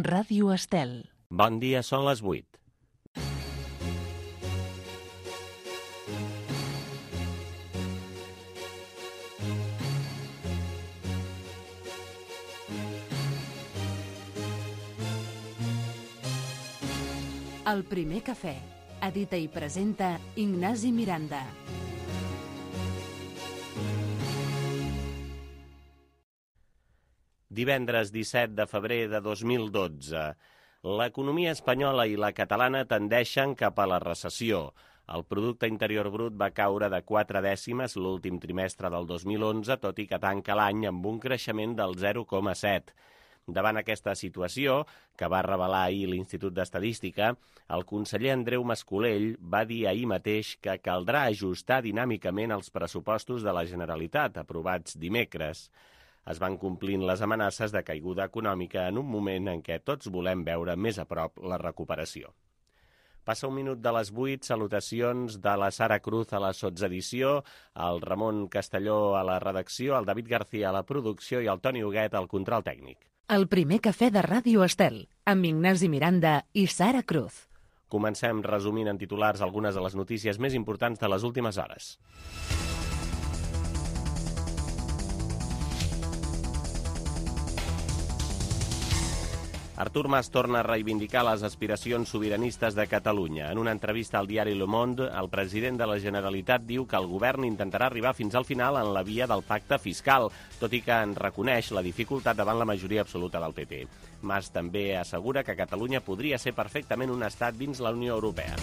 Ràdio Estel. Bon dia, són les 8. El primer cafè. Edita i presenta Ignasi Miranda. Divendres 17 de febrer de 2012. L'economia espanyola i la catalana tendeixen cap a la recessió. El Producte Interior Brut va caure de 4 dècimes l'últim trimestre del 2011, tot i que tanca l'any amb un creixement del 0,7. Davant aquesta situació, que va revelar ahir l'Institut d'Estadística, el conseller Andreu Mas-Colell va dir ahir mateix que caldrà ajustar dinàmicament els pressupostos de la Generalitat, aprovats dimecres. Es van complint les amenaces de caiguda econòmica en un moment en què tots volem veure més a prop la recuperació. Passa un minut de les 8, salutacions de la Sara Cruz a la sotsedició, el Ramon Castelló a la redacció, el David García a la producció i el Toni Huguet al control tècnic. El primer cafè de Ràdio Estel, amb Ignasi Miranda i Sara Cruz. Comencem resumint en titulars algunes de les notícies més importants de les últimes hores. Artur Mas torna a reivindicar les aspiracions sobiranistes de Catalunya. En una entrevista al diari Le Monde, el president de la Generalitat diu que el govern intentarà arribar fins al final en la via del pacte fiscal, tot i que en reconeix la dificultat davant la majoria absoluta del PP. Mas també assegura que Catalunya podria ser perfectament un estat dins la Unió Europea.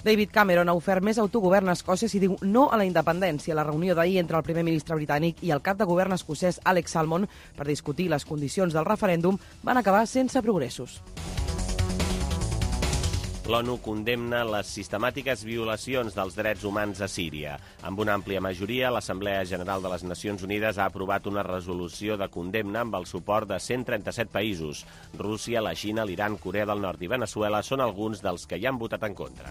David Cameron ha ofert més autogovern a Escòcia si diu no a la independència. La reunió d'ahir entre el primer ministre britànic i el cap de govern escocès Alex Salmond per discutir les condicions del referèndum van acabar sense progressos. L'ONU condemna les sistemàtiques violacions dels drets humans a Síria. Amb una àmplia majoria, l'Assemblea General de les Nacions Unides ha aprovat una resolució de condemna amb el suport de 137 països. Rússia, la Xina, l'Iran, Corea del Nord i Veneçuela són alguns dels que hi han votat en contra.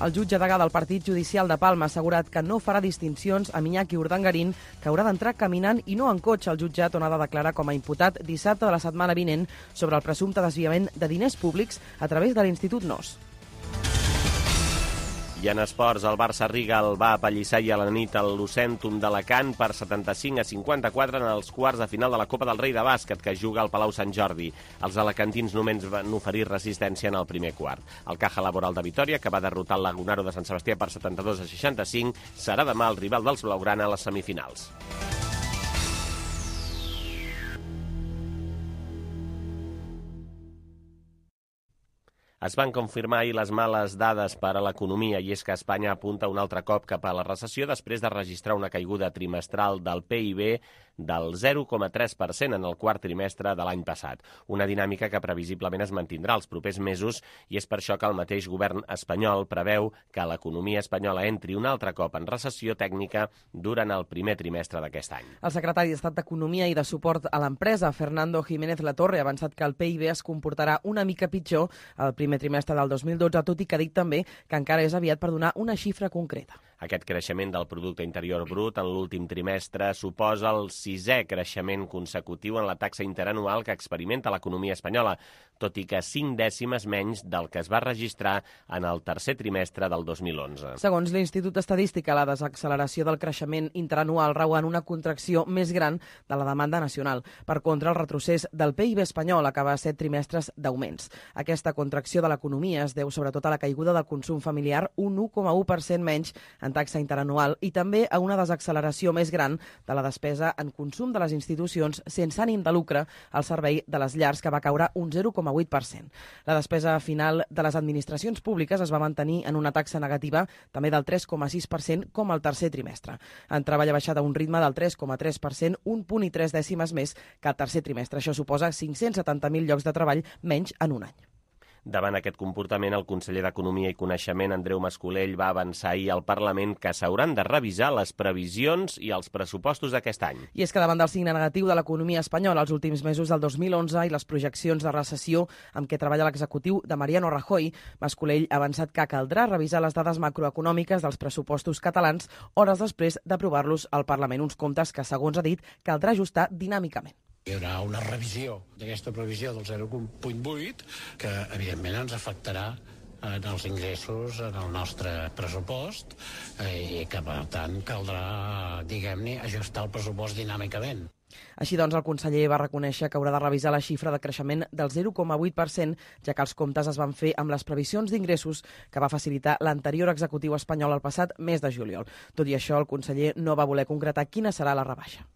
El jutge degà del Partit Judicial de Palma ha assegurat que no farà distincions amb Iñaki Urdangarín, que haurà d'entrar caminant i no en cotxe al jutjat on ha de declarar com a imputat dissabte de la setmana vinent sobre el presumpte desviament de diners públics a través de l'Institut NOS. I en esports, el Barça-Riga el va apallissar ahir a la nit al Lucentum d'Alacant per 75-54 en els quarts de final de la Copa del Rei de bàsquet que juga al Palau Sant Jordi. Els alacantins només van oferir resistència en el primer quart. El Caja Laboral de Vitòria, que va derrotar el Lagunaro de Sant Sebastià per 72-65, serà demà el rival dels blaugrana a les semifinals. Es van confirmar ahir les males dades per a l'economia i és que Espanya apunta un altre cop cap a la recessió després de registrar una caiguda trimestral del PIB del 0,3% en el quart trimestre de l'any passat. Una dinàmica que previsiblement es mantindrà els propers mesos i és per això que el mateix govern espanyol preveu que l'economia espanyola entri un altre cop en recessió tècnica durant el primer trimestre d'aquest any. El secretari d'Estat d'Economia i de Suport a l'Empresa, Fernando Jiménez Latorre, ha avançat que el PIB es comportarà una mica pitjor al primer trimestre del 2012, tot i que ha dit també que encara és aviat per donar una xifra concreta. Aquest creixement del Producte Interior Brut en l'últim trimestre suposa el 6è creixement consecutiu en la taxa interanual que experimenta l'economia espanyola, tot i que 5 dècimes menys del que es va registrar en el tercer trimestre del 2011. Segons l'Institut d'Estadística, la desacceleració del creixement interanual rau en una contracció més gran de la demanda nacional. Per contra, el retrocés del PIB espanyol acaba 7 trimestres d'augments. Aquesta contracció de l'economia es deu sobretot a la caiguda del consum familiar, un 1,1% menys en taxa interanual, i també a una desacceleració més gran de la despesa en consum de les institucions sense ànim de lucre al servei de les llars, que va caure un 0,8%. La despesa final de les administracions públiques es va mantenir en una taxa negativa també del 3,6% com al tercer trimestre. En treball ha baixat a un ritme del 3,3%, 1,3 dècimes més que al tercer trimestre. Això suposa 570.000 llocs de treball menys en un any. Davant aquest comportament, el conseller d'Economia i Coneixement, Andreu Mas-Colell, va avançar ahir al Parlament que s'hauran de revisar les previsions i els pressupostos d'aquest any. I és que davant del signe negatiu de l'economia espanyola els últims mesos del 2011 i les projeccions de recessió amb què treballa l'executiu de Mariano Rajoy, Mas-Colell ha avançat que caldrà revisar les dades macroeconòmiques dels pressupostos catalans hores després d'aprovar-los al Parlament. Uns comptes que, segons ha dit, caldrà ajustar dinàmicament. Hi haurà una revisió d'aquesta previsió del 0,8 que, evidentment, ens afectarà en els ingressos, en el nostre pressupost, i que, per tant, caldrà, diguem-ne, ajustar el pressupost dinàmicament. Així doncs, el conseller va reconèixer que haurà de revisar la xifra de creixement del 0,8%, ja que els comptes es van fer amb les previsions d'ingressos que va facilitar l'anterior executiu espanyol el passat mes de juliol. Tot i això, el conseller no va voler concretar quina serà la rebaixa.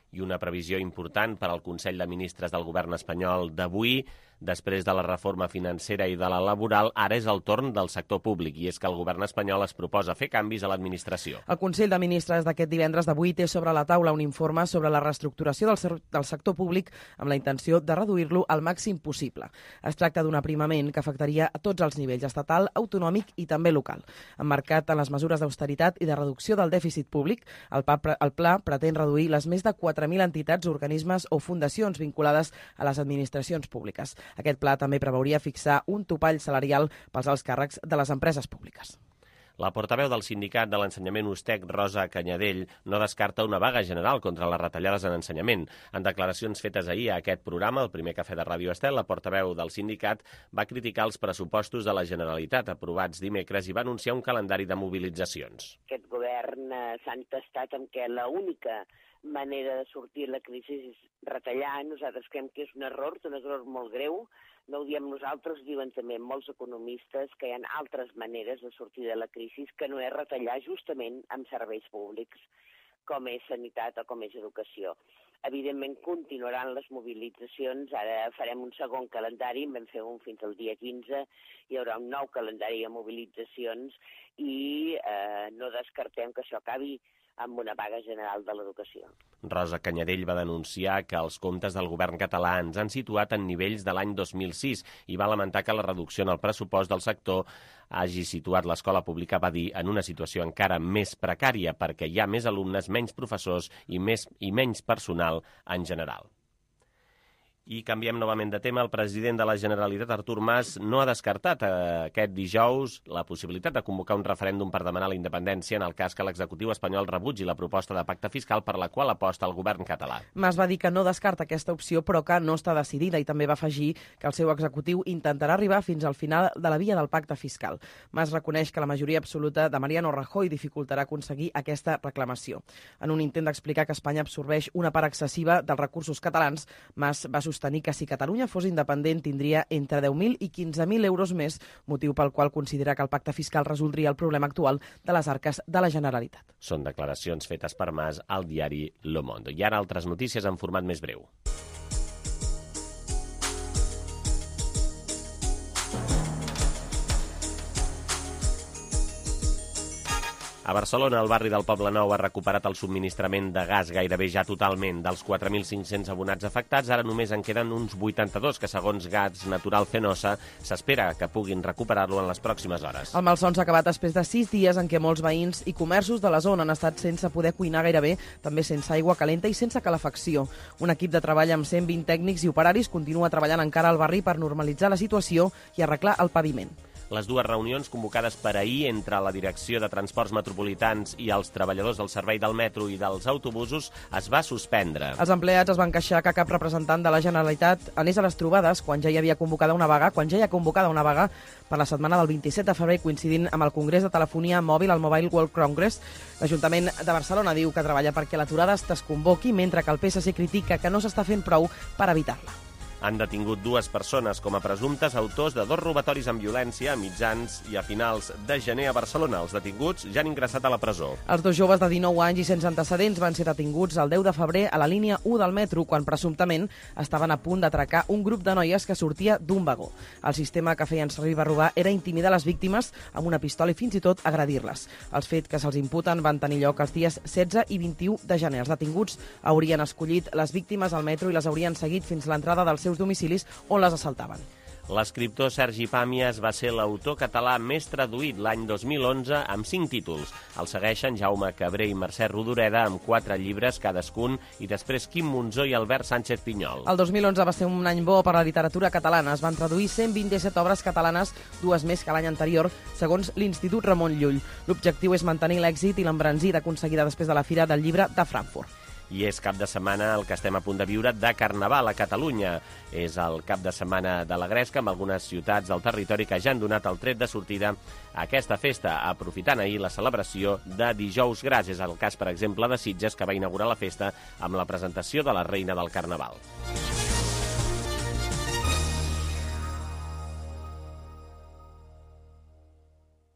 I una previsió important per al Consell de Ministres del Govern espanyol d'avui. Després de la reforma financera i de la laboral, ara és el torn del sector públic, i és que el govern espanyol es proposa fer canvis a l'administració. El Consell de Ministres d'aquest divendres d'avui té sobre la taula un informe sobre la reestructuració del sector públic amb la intenció de reduir-lo al màxim possible. Es tracta d'un aprimament que afectaria a tots els nivells, estatal, autonòmic i també local. Emmarcat en les mesures d'austeritat i de reducció del dèficit públic, el pla pretén reduir les més de 4.000 entitats, organismes o fundacions vinculades a les administracions públiques. Aquest pla també preveuria fixar un topall salarial pels alts càrrecs de les empreses públiques. La portaveu del sindicat de l'ensenyament USTEC, Rosa Canyadell, no descarta una vaga general contra les retallades en ensenyament. En declaracions fetes ahir a aquest programa, el primer cafè de Ràdio Estel, la portaveu del sindicat va criticar els pressupostos de la Generalitat aprovats dimecres i va anunciar un calendari de mobilitzacions. Aquest govern s'ha entestat en què l'única manera de sortir de la crisi és retallar. Nosaltres creiem que és un error molt greu. No ho diem nosaltres, diuen també molts economistes que hi ha altres maneres de sortir de la crisi que no és retallar justament amb serveis públics, com és sanitat o com és educació. Evidentment continuaran les mobilitzacions, ara farem un segon calendari, en vam fer un fins al dia 15, hi haurà un nou calendari de mobilitzacions i no descartem que això acabi amb una vaga general de l'educació. Rosa Canyadell va denunciar que els comptes del govern català ens han situat en nivells de l'any 2006 i va lamentar que la reducció en el pressupost del sector hagi situat l'escola pública, va dir, en una situació encara més precària perquè hi ha més alumnes, menys professors i menys personal en general. I canviem novament de tema. El president de la Generalitat, Artur Mas, no ha descartat aquest dijous la possibilitat de convocar un referèndum per demanar la independència en el cas que l'executiu espanyol rebutgi la proposta de pacte fiscal per la qual aposta el govern català. Mas va dir que no descarta aquesta opció, però que no està decidida, i també va afegir que el seu executiu intentarà arribar fins al final de la via del pacte fiscal. Mas reconeix que la majoria absoluta de Mariano Rajoy dificultarà aconseguir aquesta reclamació. En un intent d'explicar que Espanya absorbeix una part excessiva dels recursos catalans, Mas va sostenir que si Catalunya fos independent tindria entre 10.000 i 15.000 euros més, motiu pel qual considera que el pacte fiscal resoldria el problema actual de les arques de la Generalitat. Són declaracions fetes per Mas al diari Le Monde. I ara altres notícies en format més breu. A Barcelona, el barri del Poble Nou ha recuperat el subministrament de gas gairebé ja totalment. Dels 4.500 abonats afectats, ara només en queden uns 82, que segons Gas Natural Fenosa s'espera que puguin recuperar-lo en les pròximes hores. El malson s'ha acabat després de 6 dies en què molts veïns i comerços de la zona han estat sense poder cuinar gairebé, també sense aigua calenta i sense calefacció. Un equip de treball amb 120 tècnics i operaris continua treballant encara al barri per normalitzar la situació i arreglar el paviment. Les dues reunions convocades per ahir entre la Direcció de Transports Metropolitans i els treballadors del servei del metro i dels autobusos es va suspendre. Els empleats es van queixar que cap representant de la Generalitat anés a les trobades quan ja hi ha convocada una vaga per la setmana del 27 de febrer, coincidint amb el Congrés de Telefonia Mòbil, el Mobile World Congress. L'Ajuntament de Barcelona diu que treballa perquè l'aturada es desconvoqui, mentre que el PSC critica que no s'està fent prou per evitar-la. Han detingut 2 persones com a presumptes autors de 2 robatoris amb violència a mitjans i a finals de gener a Barcelona. Els detinguts ja han ingressat a la presó. Els 2 joves de 19 anys i sense antecedents van ser detinguts el 10 de febrer a la línia 1 del metro, quan presumptament estaven a punt d'atracar un grup de noies que sortia d'un vagó. El sistema que feien servir per robar era intimidar les víctimes amb una pistola i fins i tot agredir-les. Els fets que se'ls imputen van tenir lloc els dies 16 i 21 de gener. Els detinguts haurien escollit les víctimes al metro i les haurien seguit fins a l'entrada dels seus domicilis on les assaltaven. L'escriptor Sergi Pàmies va ser l'autor català més traduït l'any 2011 amb 5 títols. El segueixen Jaume Cabré i Mercè Rodoreda amb 4 llibres cadascun i després Quim Monzó i Albert Sánchez Pinyol. El 2011 va ser un any bo per a la literatura catalana. Es van traduir 127 obres catalanes, 2 més que l'any anterior, segons l'Institut Ramon Llull. L'objectiu és mantenir l'èxit i l'embranzida aconseguida després de la Fira del Llibre de Frankfurt. I és cap de setmana el que estem a punt de viure de Carnaval a Catalunya. És el cap de setmana de la Gresca, amb algunes ciutats del territori que ja han donat el tret de sortida a aquesta festa, aprofitant ahir la celebració de Dijous Gras. És el cas, per exemple, de Sitges, que va inaugurar la festa amb la presentació de la Reina del Carnaval.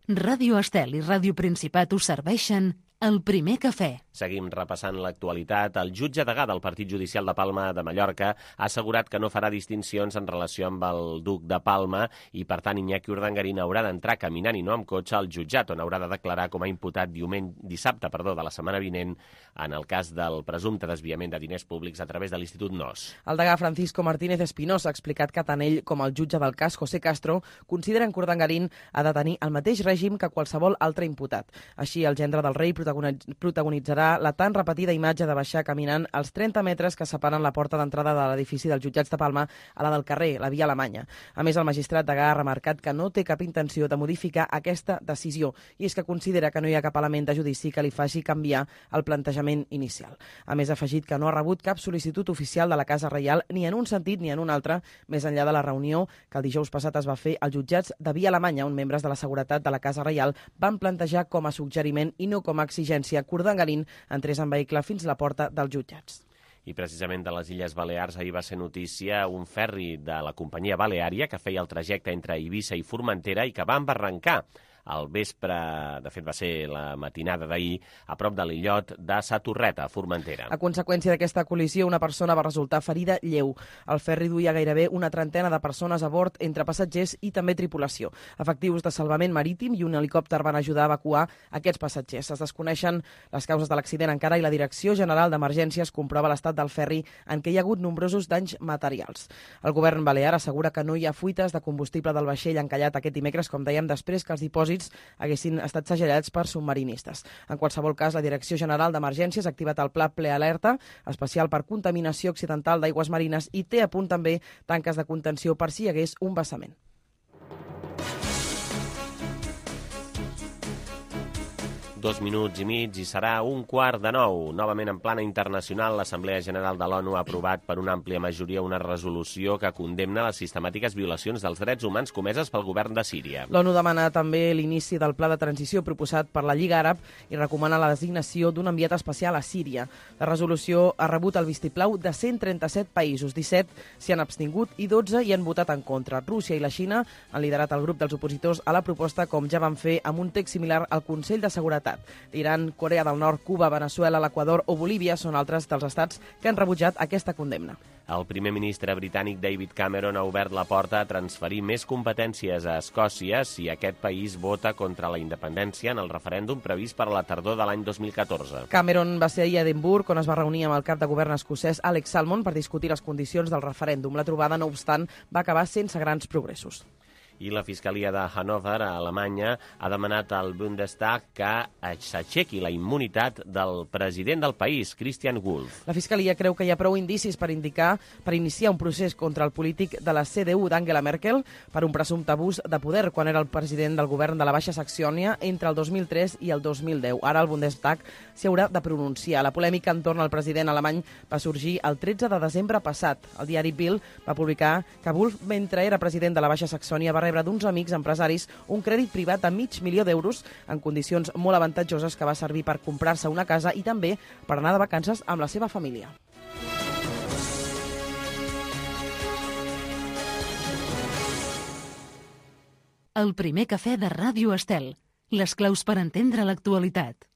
Ràdio Estel i Ràdio Principat us serveixen El Primer Cafè. Seguim repassant l'actualitat. El jutge degà del Partit Judicial de Palma de Mallorca ha assegurat que no farà distincions en relació amb el duc de Palma i, per tant, Iñaki Urdangarín haurà d'entrar caminant i no amb cotxe al jutjat, on haurà de declarar com a imputat dissabte de la setmana vinent en el cas del presumpte desviament de diners públics a través de l'Institut NOS. El degà Francisco Martínez Espinosa ha explicat que tant ell com el jutge del cas, José Castro, consideren que Urdangarín ha de tenir el mateix règim que qualsevol altre imputat. Així, el gendre del rei protagonitzarà la tan repetida imatge de baixar caminant els 30 metres que separen la porta d'entrada de l'edifici dels jutjats de Palma a la del carrer, la Via Alemanya. A més, el magistrat degà ha remarcat que no té cap intenció de modificar aquesta decisió i és que considera que no hi ha cap element de judici que li faci canviar el plantejament inicial. A més, ha afegit que no ha rebut cap sol·licitud oficial de la Casa Reial ni en un sentit ni en un altre, més enllà de la reunió que el dijous passat es va fer als jutjats de Via Alemanya, on membres de la seguretat de la Casa Reial van plantejar com a suggeriment i no com a exigència que Urdangarín entrés en vehicle fins a la porta dels jutjats. I precisament de les Illes Balears ahir va ser notícia un ferri de la companyia baleària que feia el trajecte entre Eivissa i Formentera i que va embarrancar al vespre, de fet va ser la matinada d'ahir, a prop de l'illot de Sa Torreta, a Formentera. A conseqüència d'aquesta col·lisió, una persona va resultar ferida lleu. El ferri duia gairebé una trentena de persones a bord, entre passatgers i també tripulació. Efectius de salvament marítim i un helicòpter van ajudar a evacuar aquests passatgers. Es desconeixen les causes de l'accident encara i la Direcció General d'Emergències comprova l'estat del ferri en què hi ha hagut nombrosos danys materials. El govern balear assegura que no hi ha fuites de combustible del vaixell encallat aquest dimecres, com dèiem, després que els dipòsits haguessin estat segellats per submarinistes. En qualsevol cas, la Direcció General d'Emergències ha activat el pla Prealerta especial per contaminació accidental d'aigües marines i té a punt també tanques de contenció per si hi hagués un vessament. Dos minuts i mig i serà 8:45. Novament en plana internacional, l'Assemblea General de l'ONU ha aprovat per una àmplia majoria una resolució que condemna les sistemàtiques violacions dels drets humans comeses pel govern de Síria. L'ONU demana també l'inici del pla de transició proposat per la Lliga Àrab i recomana la designació d'un enviat especial a Síria. La resolució ha rebut el vistiplau de 137 països, 17 s'hi han abstingut i 12 hi han votat en contra. Rússia i la Xina han liderat el grup dels opositors a la proposta, com ja van fer amb un text similar al Consell de Seguretat. L'Iran, Corea del Nord, Cuba, Veneçuela, l'Equador o Bolívia són altres dels estats que han rebutjat aquesta condemna. El primer ministre britànic David Cameron ha obert la porta a transferir més competències a Escòcia si aquest país vota contra la independència en el referèndum previst per a la tardor de l'any 2014. Cameron va ser ahir a Edimburg, on es va reunir amb el cap de govern escocès Alex Salmond per discutir les condicions del referèndum. La trobada, no obstant, va acabar sense grans progressos. I la Fiscalia de Hannover, a Alemanya, ha demanat al Bundestag que s'aixequi la immunitat del president del país, Christian Wulff. La Fiscalia creu que hi ha prou indicis per iniciar un procés contra el polític de la CDU d'Angela Merkel per un presumpte abús de poder quan era el president del govern de la Baixa Saxònia entre el 2003 i el 2010. Ara el Bundestag s'hi haurà de pronunciar. La polèmica entorn al president alemany va sorgir el 13 de desembre passat. El diari Bild va publicar que Wulff, mentre era president de la Baixa Saxònia, va rebre d'uns amics empresaris un crèdit privat de $500.000 en condicions molt avantatjoses que va servir per comprar-se una casa i també per anar de vacances amb la seva família. El primer cafè de Ràdio Estel. Les claus per entendre l'actualitat.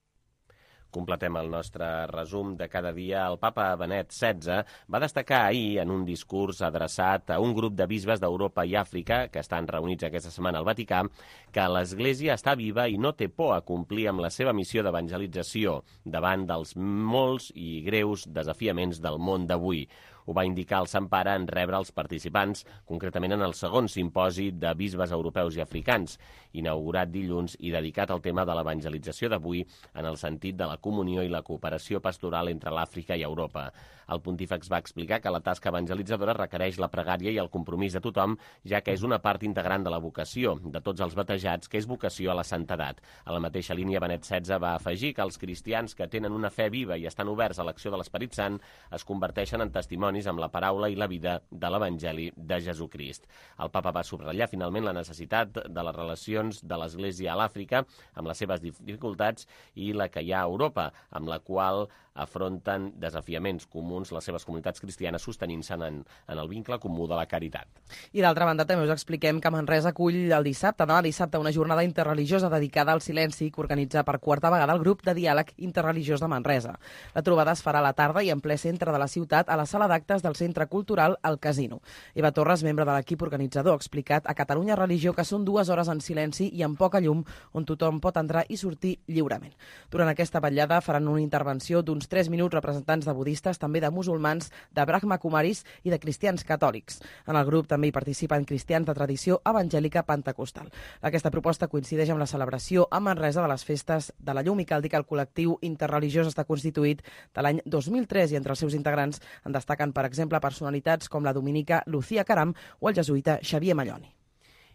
Completem el nostre resum de cada dia. El papa Benet XVI va destacar ahir en un discurs adreçat a un grup de bisbes d'Europa i Àfrica que estan reunits aquesta setmana al Vaticà que l'Església està viva i no té por a complir amb la seva missió d'evangelització davant dels molts i greus desafiaments del món d'avui. Ho va indicar el Sant Pare en rebre els participants, concretament en el segon simposi de bisbes europeus i africans, inaugurat dilluns i dedicat al tema de l'evangelització d'avui en el sentit de la comunió i la cooperació pastoral entre l'Àfrica i Europa. El pontífex va explicar que la tasca evangelitzadora requereix la pregària i el compromís de tothom, ja que és una part integrant de la vocació de tots els batejats, que és vocació a la santedat. A la mateixa línia, Benet XVI va afegir que els cristians que tenen una fe viva i estan oberts a l'acció de l'Esperit Sant es converteixen en testimonis amb la paraula i la vida de l'Evangeli de Jesucrist. El papa va subratllar finalment la necessitat de les relacions de l'Església a l'Àfrica amb les seves dificultats i la que hi ha a Europa, amb la qual afronten desafiaments comuns les seves comunitats cristianes sostenint-se en el vincle comú de la caritat. I d'altra banda també us expliquem que Manresa acull el dissabte, una jornada interreligiosa dedicada al silenci que organitza per quarta vegada el grup de diàleg interreligiós de Manresa. La trobada es farà a la tarda i en ple centre de la ciutat a la sala d'actes del Centre Cultural El Casino. Eva Torres, membre de l'equip organitzador, ha explicat a Catalunya Religió que són 2 hores en silenci i amb poca llum on tothom pot entrar i sortir lliurement. Durant aquesta vetllada faran una intervenció d'uns 3 minuts representants de budistes, també de musulmans, de Brahma Kumaris i de cristians catòlics. En el grup també hi participen cristians de tradició evangèlica pentecostal. Aquesta proposta coincideix amb la celebració a Manresa de les festes de la llum i cal dir que el col·lectiu interreligiós està constituït de l'any 2003 i entre els seus integrants en destaquen, per exemple, personalitats com la dominica Lucía Caram o el jesuïta Xavier Malloni.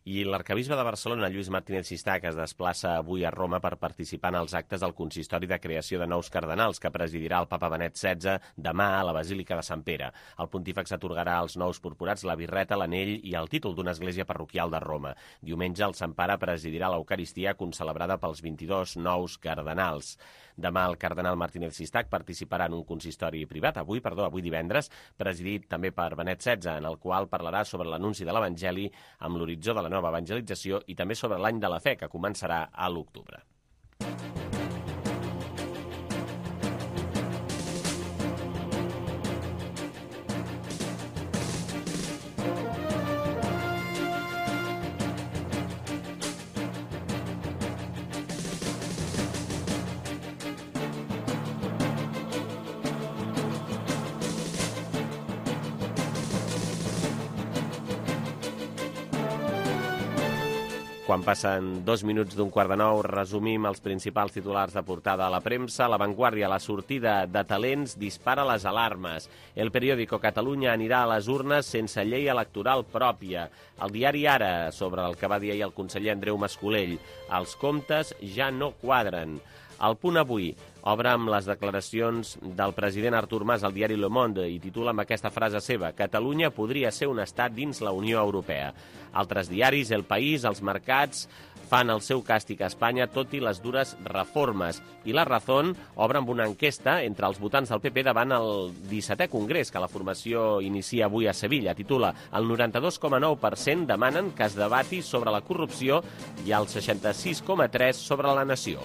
I l'arcabisbe de Barcelona, Lluís Martínez Sistac, es desplaça avui a Roma per participar en els actes del consistori de creació de nous cardenals que presidirà el papa Benet XVI demà a la Basílica de Sant Pere. El pontífex atorgarà als nous purpurats la birreta, l'anell i el títol d'una església parroquial de Roma. Diumenge el Sant Pare presidirà l'Eucaristia concelebrada pels 22 nous cardenals. Demà el cardenal Martínez Sistac participarà en un consistori privat, avui divendres, presidit també per Benet XVI, en el qual parlarà sobre l'anunci de l'Evangeli amb l'horitzó de la nova evangelització i també sobre l'any de la fe, que començarà a l'octubre. Quan passen 2 minuts d'un 8:45, resumim els principals titulars de portada a la premsa. La Vanguardia, la sortida de talents dispara les alarmes. El periòdico, Catalunya anirà a les urnes sense llei electoral pròpia. El diari Ara, sobre el que va dir ahir el conseller Andreu Mascolell. Els comptes ja no quadren. El Punt Avui obre amb les declaracions del president Artur Mas al diari Le Monde i titula amb aquesta frase seva: Catalunya podria ser un estat dins la Unió Europea. Altres diaris, El País, Els Mercats, fan el seu càstig a Espanya tot i les dures reformes. I La Razón obre amb una enquesta entre els votants del PP davant el 17è congrés que la formació inicia avui a Sevilla. Titula: el 92,9% demanen que es debati sobre la corrupció i el 66,3% sobre la nació.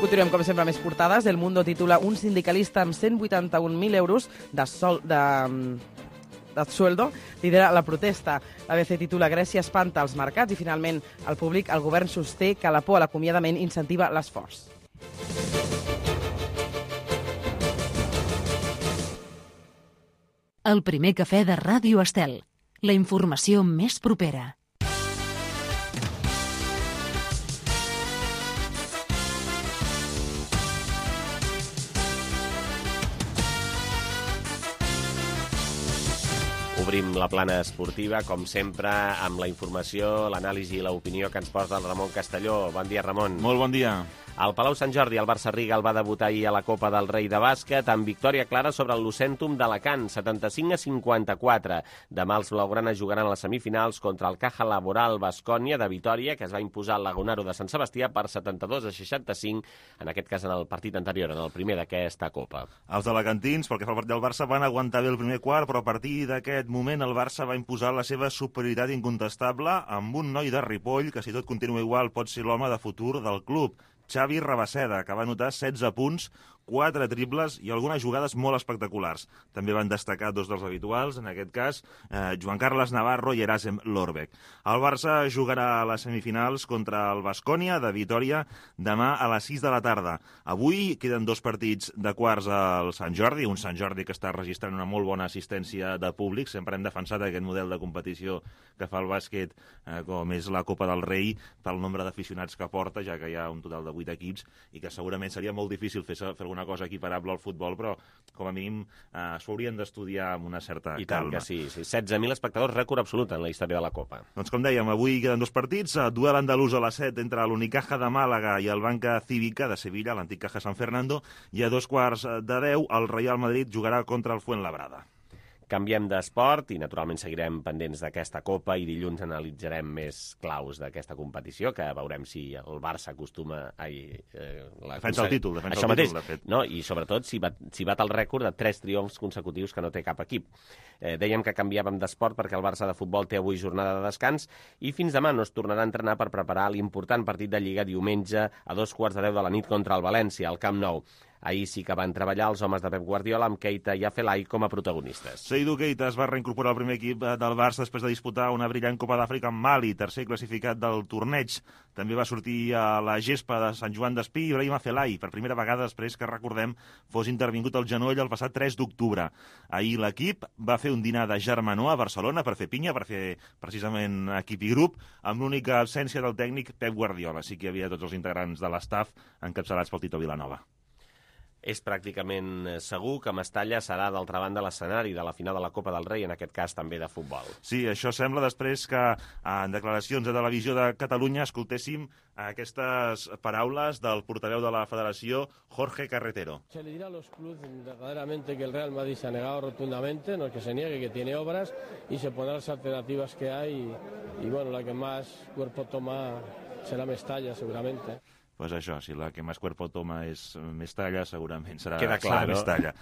Continuem, com sempre, més portades. El Mundo titula: un sindicalista amb 181.000 euros de sueldo lidera la protesta. L'ABC titula: Grècia espanta els mercats i, finalment, el Públic, el govern sosté que la por a l'acomiadament incentiva l'esforç. El primer cafè de Ràdio Estel. La informació més propera. Obrim la plana esportiva, com sempre, amb la informació, l'anàlisi i l'opinió que ens posa el Ramon Castelló. Bon dia, Ramon. Molt bon dia. Al Palau Sant Jordi, el Barça Rigal va debutar ahir a la Copa del Rei de bàsquet amb victòria clara sobre el Lucentum d'Alacant, 75-54. Demà els blaugranes jugaran a les semifinals contra el Caja Laboral Baskonia de Vitòria, que es va imposar al Lagunaro de Sant Sebastià per 72-65, en aquest cas en el partit anterior, en el primer d'aquesta Copa. Els alacantins, pel que fa al partit del Barça, van aguantar bé el primer quart, però a partir d'aquest moment el Barça va imposar la seva superioritat incontestable amb un noi de Ripoll que, si tot continua igual, pot ser l'home de futur del club. Xavi Rabaseda, que va anotar 16 punts, 4 triples i algunes jugades molt espectaculars. També van destacar dos dels habituals, en aquest cas, Joan Carles Navarro i Erasem Lorbeck. El Barça jugarà a les semifinals contra el Baskonia de Vitòria demà a les 6 de la tarda. Avui queden 2 partits de quarts al Sant Jordi, un Sant Jordi que està registrant una molt bona assistència de públic. Sempre hem defensat aquest model de competició que fa el bàsquet, com és la Copa del Rei, pel nombre d'aficionats que porta, ja que hi ha un total de 8 equips, i que segurament seria molt difícil fer alguna cosa equiparable al futbol, però com a mínim s'ho haurien d'estudiar amb una certa I tant calma. que sí. 16.000 espectadors, rècord absolut en la història de la Copa. Doncs com dèiem, avui queden 2 partits, duel andalús a les 7 entre l'Unicaja de Màlaga i el Banca Cívica de Sevilla, l'antic Caja San Fernando, i a 2:15 el Real Madrid jugarà contra el Fuenlabrada. Canviem d'esport i, naturalment, seguirem pendents d'aquesta Copa i dilluns analitzarem més claus d'aquesta competició, que veurem si el Barça acostuma a... Defensa el títol, Això mateix, de fet. no? I sobretot si bat el rècord de 3 triomfs consecutius que no té cap equip. Dèiem que canviàvem d'esport perquè el Barça de futbol té avui jornada de descans i fins demà no es tornarà a entrenar per preparar l'important partit de Lliga diumenge a 2:15 de la nit contra el València, al Camp Nou. Ahir sí que van treballar els homes de Pep Guardiola amb Keita i Afelai com a protagonistes. Seydou Keita es va reincorporar al primer equip del Barça després de disputar una brillant Copa d'Àfrica amb Mali, tercer classificat del torneig. També va sortir a la gespa de Sant Joan d'Espí Ibrahim Afelai, per primera vegada després que, recordem, fos intervingut el genoll el passat 3 d'octubre. Ahir l'equip va fer un dinar de germanor a Barcelona per fer pinya, per fer precisament equip i grup, amb l'única absència del tècnic Pep Guardiola. Sí que hi havia tots els integrants de l'estaf encapçalats pel Tito Vilanova. És pràcticament segur que Mestalla serà, d'altra banda, l'escenari de la final de la Copa del Rei, en aquest cas també de futbol. Sí, això sembla després que en declaracions de Televisió de Catalunya escoltéssim aquestes paraules del portaveu de la Federació, Jorge Carretero. Se le dirá a los clubes verdaderamente que el Real Madrid se ha negado rotundamente, no es que se niegue, que tiene obras y se pondrán las alternativas que hay y bueno, la que más cuerpo toma será Mestalla seguramente. Pues això, si la que més cuerpo toma és Mestalla, segurament serà no? Mestalla.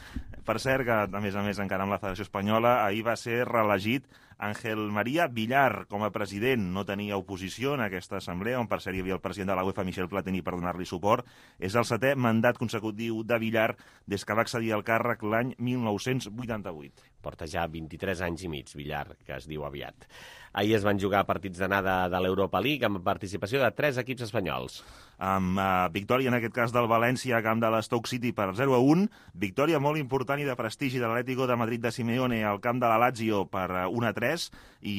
Per cert, que a més encara amb la Federació Espanyola, ahir va ser reelegit Ángel María Villar com a president. No tenia oposició en aquesta assemblea, on per cert hi havia el president de la UEFA, Michel Platini, per donar-li suport. És el 7è mandat consecutiu de Villar des que va accedir al càrrec l'any 1988. Porta ja 23 anys i mig, Villar, que es diu aviat. Ahir es van jugar partits d'anada de l'Europa League amb participació de 3 equips espanyols. Amb victòria, en aquest cas, del València a camp de l'Stoke City per 0-1, victòria molt important i de prestigi de l'Atlético de Madrid de Simeone al camp de la Lazio per 1-3 i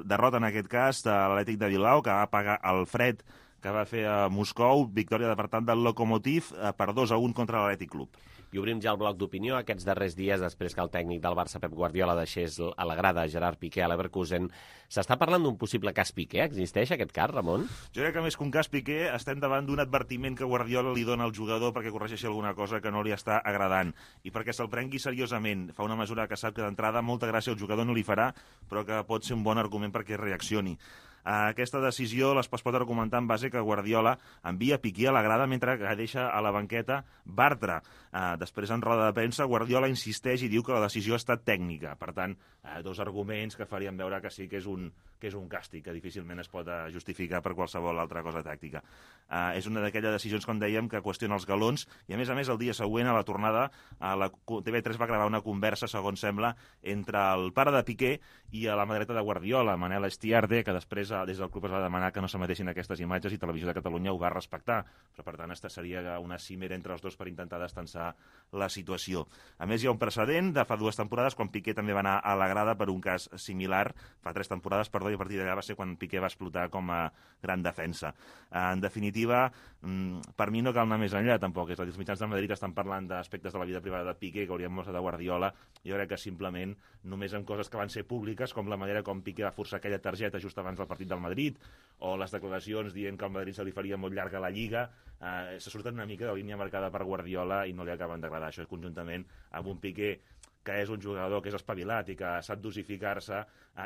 derrota, en aquest cas, de l'Atlètic de Bilbao, que va pagar el fred que va fer a Moscou, victòria, per tant, del Lokomotiv per 2-1 contra l'Atlètic Club. I obrim ja el bloc d'opinió aquests darrers dies, després que el tècnic del Barça, Pep Guardiola, deixés a la grada Gerard Piqué a l'Leverkusen. S'està parlant d'un possible cas Piqué? Existeix aquest cas, Ramon? Jo crec que més que un cas Piqué estem davant d'un advertiment que Guardiola li dona al jugador perquè corregeixi alguna cosa que no li està agradant i perquè se'l prengui seriosament. Fa una mesura que sap que d'entrada molta gràcia al jugador no li farà, però que pot ser un bon argument perquè reaccioni. Aquesta decisió es pot argumentar en base que Guardiola envia Piqué a la grada mentre que deixa a la banqueta Bartra. Després, en roda de premsa, Guardiola insisteix i diu que la decisió ha estat tècnica. Per tant, 2 arguments que farien veure que sí que és un càstig, que difícilment es pot justificar per qualsevol altra cosa tàctica. És una d'aquelles decisions, com dèiem, que qüestiona els galons i, a més, el dia següent, a la tornada, la TV3 va gravar una conversa, segons sembla, entre el pare de Piqué i la mà dreta de Guardiola, Manel Estiarde, que després des del club es va demanar que no s'emetessin aquestes imatges i Televisió de Catalunya ho va respectar. Però, per tant, seria una cimera entre els dos per intentar destensar la situació. A més, hi ha un precedent de fa 2 temporades, quan Piqué també va anar a la grada per un cas similar, fa 3 temporades, perdó, i a partir d'allà va ser quan Piqué va explotar com a gran defensa. En definitiva, per mi no cal anar més enllà, tampoc. És a dir, els mitjans de Madrid estan parlant d'aspectes de la vida privada de Piqué que haurien mostrat de Guardiola. Jo crec que simplement, només en coses que van ser públiques, com la manera com Piqué va forçar aquella targeta just abans del partit del Madrid, o les declaracions dient que al Madrid se li faria molt llarga la Lliga, se surten una mica de línia marcada per Guardiola i no li acaben d'agradar. Això conjuntament amb un Piqué que és un jugador que és espavilat i que sap dosificar-se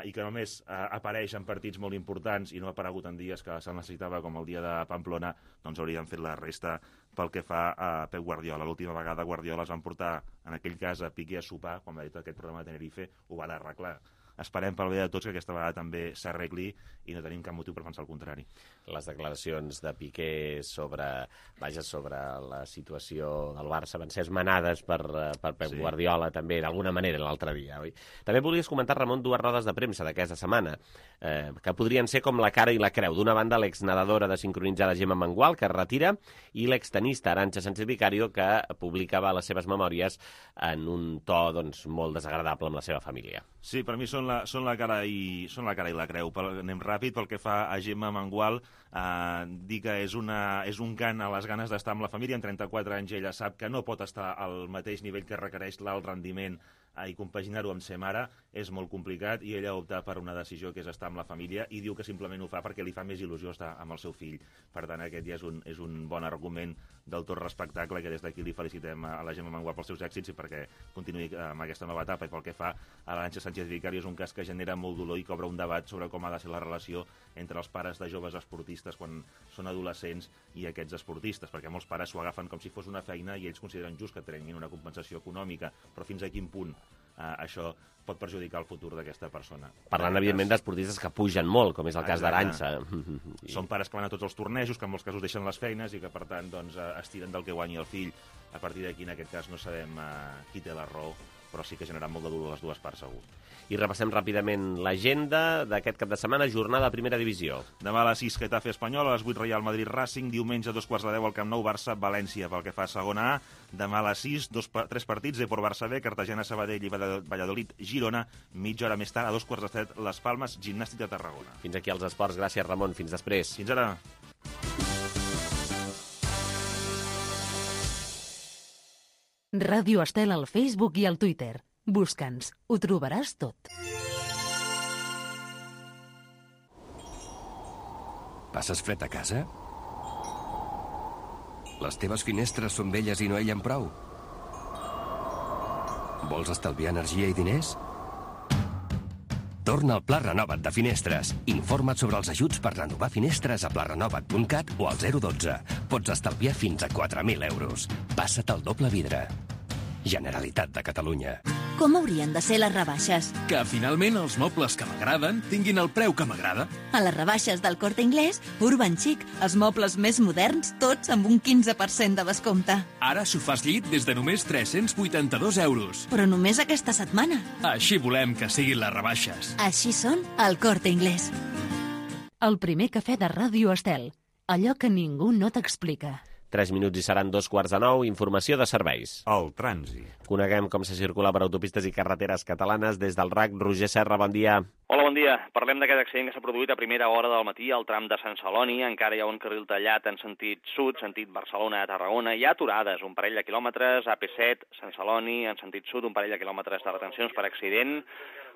i que només apareix en partits molt importants i no ha aparegut en dies que se'l necessitava, com el dia de Pamplona, doncs haurien fet la resta pel que fa a Pep Guardiola. L'última vegada Guardiola es van portar, en aquell cas, a Piqué a sopar, quan va dir aquest programa de Tenerife, ho van arreglar. Esperem pel bé de tots que aquesta vegada també s'arregli i no tenim cap motiu per pensar el contrari. Les declaracions de Piqué sobre la situació del Barça van ser esmenades per Pep Guardiola també, d'alguna manera, l'altre dia, oi? També volies comentar, Ramon, 2 rodes de premsa d'aquesta setmana, que podrien ser com la cara i la creu. D'una banda, l'exnedadora de sincronitzada Gemma Mengual, que es retira, i l'extenista Arantxa Sánchez Vicario, que publicava les seves memòries en un to molt desagradable amb la seva família. Sí, per mi són la cara i la creu. Anem ràpid. Pel que fa a Gemma Mengual, dir que és un cant a les ganes d'estar amb la família. Amb 34 anys ella sap que no pot estar al mateix nivell que requereix l'alt rendiment i compaginar-ho amb ser mare és molt complicat, i ella opta per una decisió que és estar amb la família, i diu que simplement ho fa perquè li fa més il·lusió estar amb el seu fill. Per tant, aquest ja és un bon argument del tot respectable, que des d'aquí li felicitem a la Gemma Mengual pels seus èxits i perquè continuï amb aquesta nova etapa. I pel que fa a l'Arantxa Sánchez Vicario, és un cas que genera molt dolor i que obre un debat sobre com ha de ser la relació entre els pares de joves esportistes quan són adolescents i aquests esportistes, perquè molts pares s'ho agafen com si fos una feina i ells consideren just que treguin una compensació econòmica, però fins a quin punt això pot perjudicar el futur d'aquesta persona. Parlant, evidentment, d'esportistes que pugen molt, com és el cas d'Arantxa. Són pares que van a tots els tornejos, que en molts casos deixen les feines i que, per tant, es tiren del que guanyi el fill. A partir d'aquí, en aquest cas, no sabem qui té la raó, però sí que ha generat molt de dolor a les dues parts, segur. I repassem ràpidament l'agenda d'aquest cap de setmana, jornada de primera divisió. Demà a les 6, Getafe Espanyol, a les 8, Real Madrid Racing, diumenge a 2:15 al Camp Nou, Barça València. Pel que fa a segona A, demà a les 6, 3 partits, Depor Barça B, Cartagena Sabadell i Valladolid Girona, mitja hora més tard, a 2:15 Les Palmes, Gimnàstic de Tarragona. Fins aquí els esports. Gràcies, Ramon. Fins després. Fins ara. Ràdio Estel al Facebook i al Twitter. Busca'ns, ho trobaràs tot. Passes fred a casa? Les teves finestres són velles i no aïllen prou? Vols estalviar energia i diners? Torna al Pla Renova't de Finestres. Informa't sobre els ajuts per renovar finestres a plarenovat.cat o al 012. Pots estalviar fins a 4.000 euros. Passa't al doble vidre. Generalitat de Catalunya. Com haurien de ser les rebaixes? Que finalment els mobles que m'agraden tinguin el preu que m'agrada. A les rebaixes del Corte Inglés, Urban Chic, els mobles més moderns, tots amb un 15% de descompte. Ara sofàs llit des de només 382 euros. Però només aquesta setmana. Així volem que siguin les rebaixes. Així són al Corte Inglés. El primer cafè de Ràdio Estel. Allò que ningú no t'explica. 3 minuts i seran 8:45. Informació de serveis. El trànsit. Coneguem com se circula per autopistes i carreteres catalanes des del RAC. Roger Serra, bon dia. Hola, bon dia. Parlem d'aquest accident que s'ha produït a primera hora del matí al tram de Sant Celoni. Encara hi ha un carril tallat en sentit sud, sentit Barcelona a Tarragona. Hi ha aturades, un parell de quilòmetres, AP7, Sant Celoni, en sentit sud, un parell de quilòmetres de retencions per accident.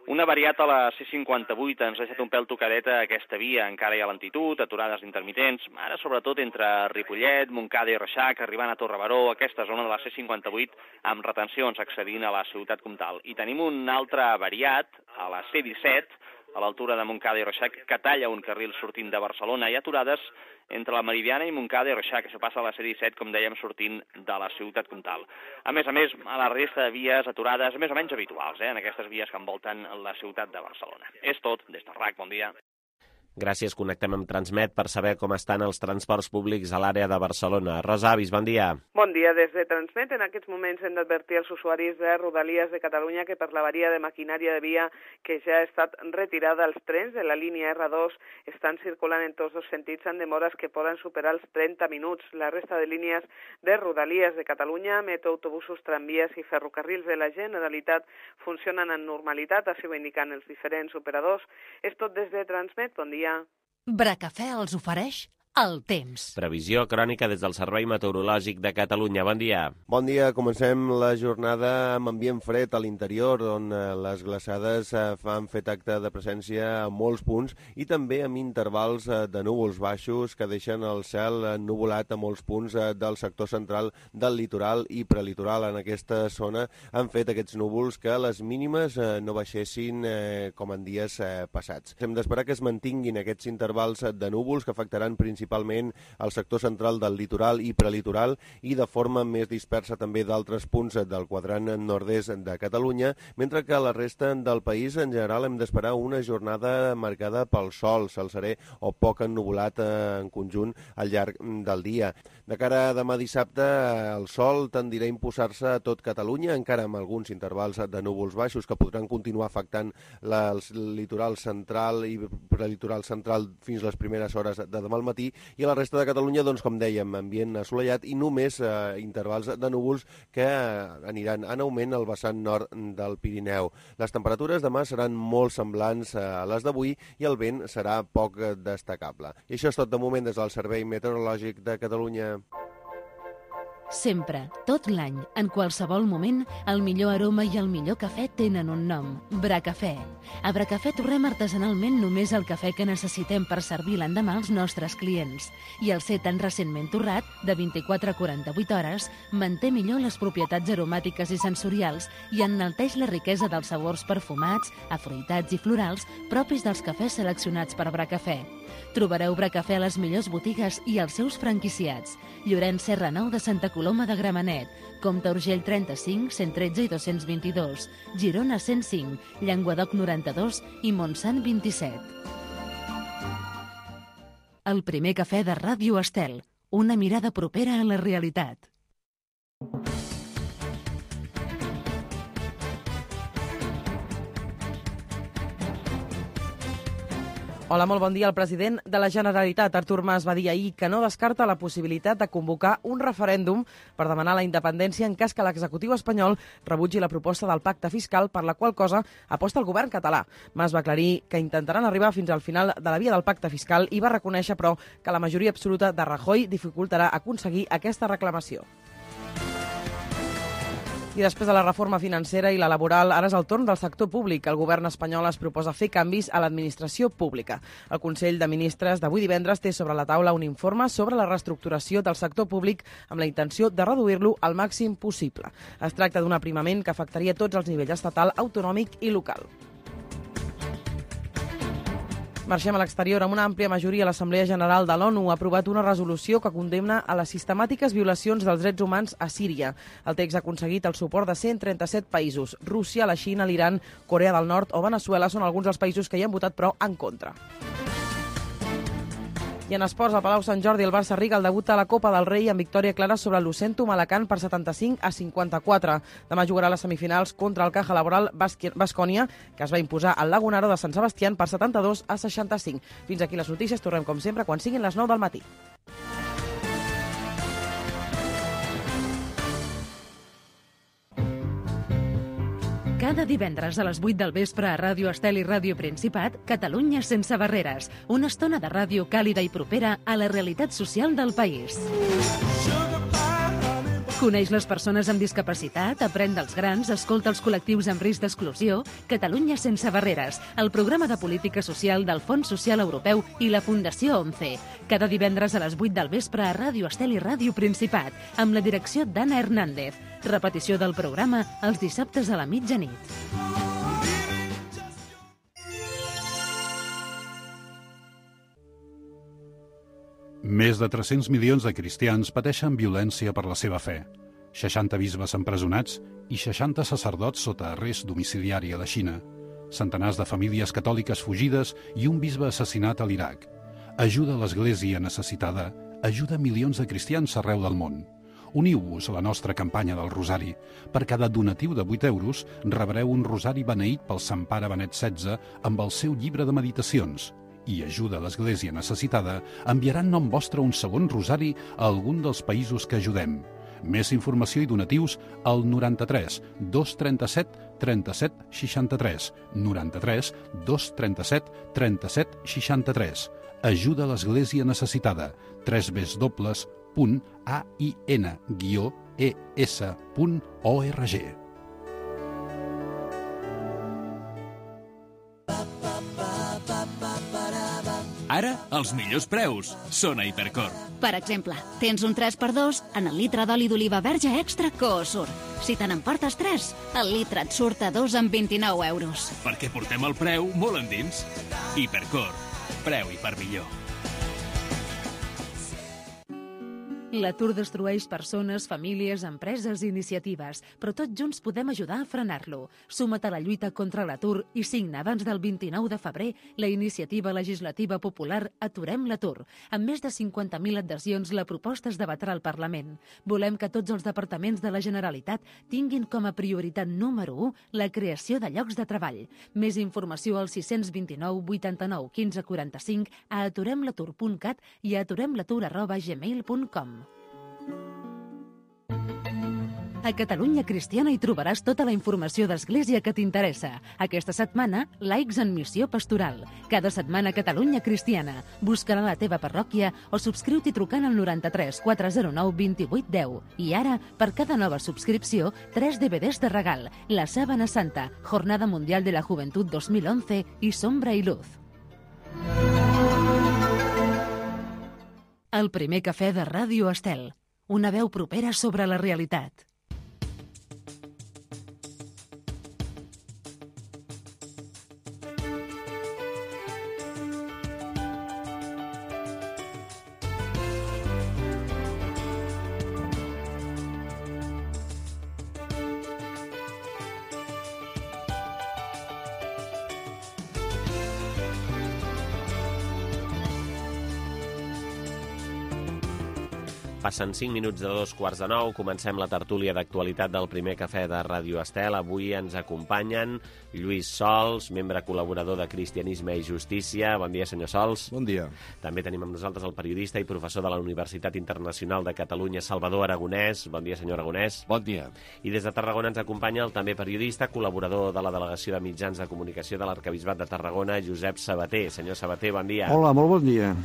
Una variat a la C58 ens ha deixat un pèl tocadeta aquesta via. Encara hi ha lentitud, aturades intermitents, ara sobretot entre Ripollet, Montcada i Reixac, arribant a Torrebaró, aquesta zona de la C58 amb retencions accedint a la ciutat comtal. I tenim un altre variat a la C17, a l'altura de Montcada i Reixac, que talla un carril sortint de Barcelona. Hi ha aturades entre la Meridiana i Montcada i Reixac, això passa a la C17, com dèiem, sortint de la ciutat comtal. A més, a la resta de vies aturades més o menys habituals, en aquestes vies que envolten la ciutat de Barcelona. És tot, des del RAC, bon dia. Gràcies, connectem amb Transmet per saber com estan els transports públics a l'àrea de Barcelona. Rosa Avis, bon dia. Bon dia, des de Transmet. En aquests moments hem d'advertir als usuaris de Rodalies de Catalunya que per l'avaria de maquinària de via que ja ha estat retirada, els trens de la línia R2 estan circulant en tots dos sentits amb demores que poden superar els 30 minuts. La resta de línies de Rodalies de Catalunya, metro, autobusos, tramvies i ferrocarrils de la Generalitat funcionen en normalitat, així ho indiquen els diferents operadors. És tot des de Transmet. Bon dia. Bracafè els ofereix el temps. Previsió crònica des del Servei Meteorològic de Catalunya. Bon dia. Bon dia. Comencem la jornada amb ambient fred a l'interior, on les glaçades han fet acte de presència a molts punts i també amb intervals de núvols baixos que deixen el cel ennuvolat a molts punts del sector central del litoral i prelitoral. En aquesta zona han fet aquests núvols que les mínimes no baixessin com en dies passats. Hem d'esperar que es mantinguin aquests intervals de núvols que afectaran principalment al sector central del litoral i prelitoral i de forma més dispersa també d'altres punts del quadrant nord-est de Catalunya, mentre que a la resta del país en general hem d'esperar una jornada marcada pel sol, cel serè o poc ennuvolat en conjunt al llarg del dia. De cara a demà dissabte, el sol tendirà a imposar-se a tot Catalunya, encara amb alguns intervals de núvols baixos que podran continuar afectant el litoral central i prelitoral central fins les primeres hores de demà al matí, I a la resta de Catalunya, doncs, com dèiem, ambient assolellat i només intervals de núvols que aniran en augment al vessant nord del Pirineu. Les temperatures demà seran molt semblants a les d'avui i el vent serà poc destacable. I això és tot de moment des del Servei Meteorològic de Catalunya. Sempre, tot l'any, en qualsevol moment, el millor aroma i el millor cafè tenen un nom, Bracafè. A Bracafè torrem artesanalment només el cafè que necessitem per servir l'endemà als nostres clients. I el ser tan recentment torrat, de 24 a 48 hores, manté millor les propietats aromàtiques i sensorials i enalteix la riquesa dels sabors perfumats, afruitats i florals propis dels cafès seleccionats per Bracafè. Trobareu Bracafè a les millors botigues i als seus franquiciats. Llorenç Serra Nou de Santa Coloma de Gramenet, Comte Urgell 35, 113 i 222, Girona 105, Llenguadoc 92 i Montsant 27. El primer cafè de Ràdio Estel, una mirada propera a la realitat. Hola, molt bon dia. El president de la Generalitat, Artur Mas, va dir ahir que no descarta la possibilitat de convocar un referèndum per demanar la independència en cas que l'executiu espanyol rebutgi la proposta del pacte fiscal, per la qual cosa aposta el govern català. Mas va aclarir que intentaran arribar fins al final de la via del pacte fiscal i va reconèixer, però, que la majoria absoluta de Rajoy dificultarà aconseguir aquesta reclamació. I després de la reforma financera i la laboral, ara és el torn del sector públic. El govern espanyol es proposa fer canvis a l'administració pública. El Consell de Ministres d'avui divendres té sobre la taula un informe sobre la reestructuració del sector públic amb la intenció de reduir-lo al màxim possible. Es tracta d'un aprimament que afectaria tots els nivells estatal, autonòmic i local. Marxem a l'exterior. Amb una àmplia majoria, l'Assemblea General de l'ONU ha aprovat una resolució que condemna a les sistemàtiques violacions dels drets humans a Síria. El text ha aconseguit el suport de 137 països. Rússia, la Xina, l'Iran, Corea del Nord o Veneçuela són alguns dels països que hi han votat, però en contra. I en esports, al Palau Sant Jordi, el Barça Riga el debut a la Copa del Rei amb victòria clara sobre l'Ucentum Alacant per 75 a 54. Demà jugarà les semifinals contra el Caja Laboral Baskonia, que es va imposar al Lagunaro de Sant Sebastián per 72 a 65. Fins aquí les notícies. Tornem, com sempre, quan siguin les 9 del matí. Cada divendres a les 8 del vespre a Ràdio Estel i Ràdio Principat, Catalunya sense barreres. Una estona de ràdio càlida i propera a la realitat social del país. Coneix les persones amb discapacitat, aprèn dels grans, escolta els col·lectius amb risc d'exclusió. Catalunya sense barreres, el programa de política social del Fons Social Europeu i la Fundació 11. Cada divendres a les 8 del vespre a Ràdio Estel i Ràdio Principat, amb la direcció d'Anna Hernández. Repetició del programa els dissabtes a la mitjanit. Més de 300 milions de cristians pateixen violència per la seva fe. 60 bisbes empresonats i 60 sacerdots sota arrest domiciliari a la Xina. Centenars de famílies catòliques fugides i un bisbe assassinat a l'Iraq. Ajuda a l'Església necessitada, ajuda milions de cristians arreu del món. Uniu-vos a la nostra campanya del Rosari. Per cada donatiu de 8 euros rebreu un rosari beneït pel Sant Pare Benet XVI amb el seu llibre de meditacions. I ajuda a l'Església necessitada enviarà en nom vostre un segon rosari a algun dels països que ajudem. Més informació i donatius al 93 237 37 63. 93 237 37 63. Ajuda a l'Església necessitada. www.ain-es.org. Ara, els millors preus són a Hipercor. Per exemple, tens un 3x2 en el litre d'oli d'oliva verge extra Coosur. Si te n'emportes 3, el litre et surt a 2 amb 29 euros. Perquè portem el preu molt endins. Hipercor. Preu i per millor. L'atur destrueix persones, famílies, empreses i iniciatives, però tots junts podem ajudar a frenar-lo. Suma't a la lluita contra l'atur i signa abans del 29 de febrer la iniciativa legislativa popular Aturem l'atur. Amb més de 50.000 adhesions, la proposta es debatrà al Parlament. Volem que tots els departaments de la Generalitat tinguin com a prioritat número 1 la creació de llocs de treball. Més informació al 629 89 15 45 a aturemlatur.cat i a aturemlatur@gmail.com. A Catalunya Cristiana hi trobaràs tota la informació d'Església que t'interessa. Aquesta setmana, laics en missió pastoral. Cada setmana Catalunya Cristiana. Busca-la a la teva parròquia o subscriu-t'hi trucant al 93 409 28 10. I ara, per cada nova subscripció, 3 DVDs de regal. La Sábana Santa, Jornada Mundial de la Juventud 2011 i Sombra i Luz. El primer cafè de Ràdio Estel. Una veu propera sobre la realitat. Passen 5 minuts de 2:15. Comencem la tertúlia d'actualitat del primer cafè de Ràdio Estel. Avui ens acompanyen Lluís Sols, membre col·laborador de Cristianisme i Justícia. Bon dia, senyor Sols. Bon dia. També tenim amb nosaltres el periodista i professor de la Universitat Internacional de Catalunya, Salvador Aragonès. Bon dia, senyor Aragonès. Bon dia. I des de Tarragona ens acompanya el també periodista, col·laborador de la Delegació de Mitjans de Comunicació de l'Arquebisbat de Tarragona, Josep Sabater. Senyor Sabater, bon dia. Hola, molt bon dia.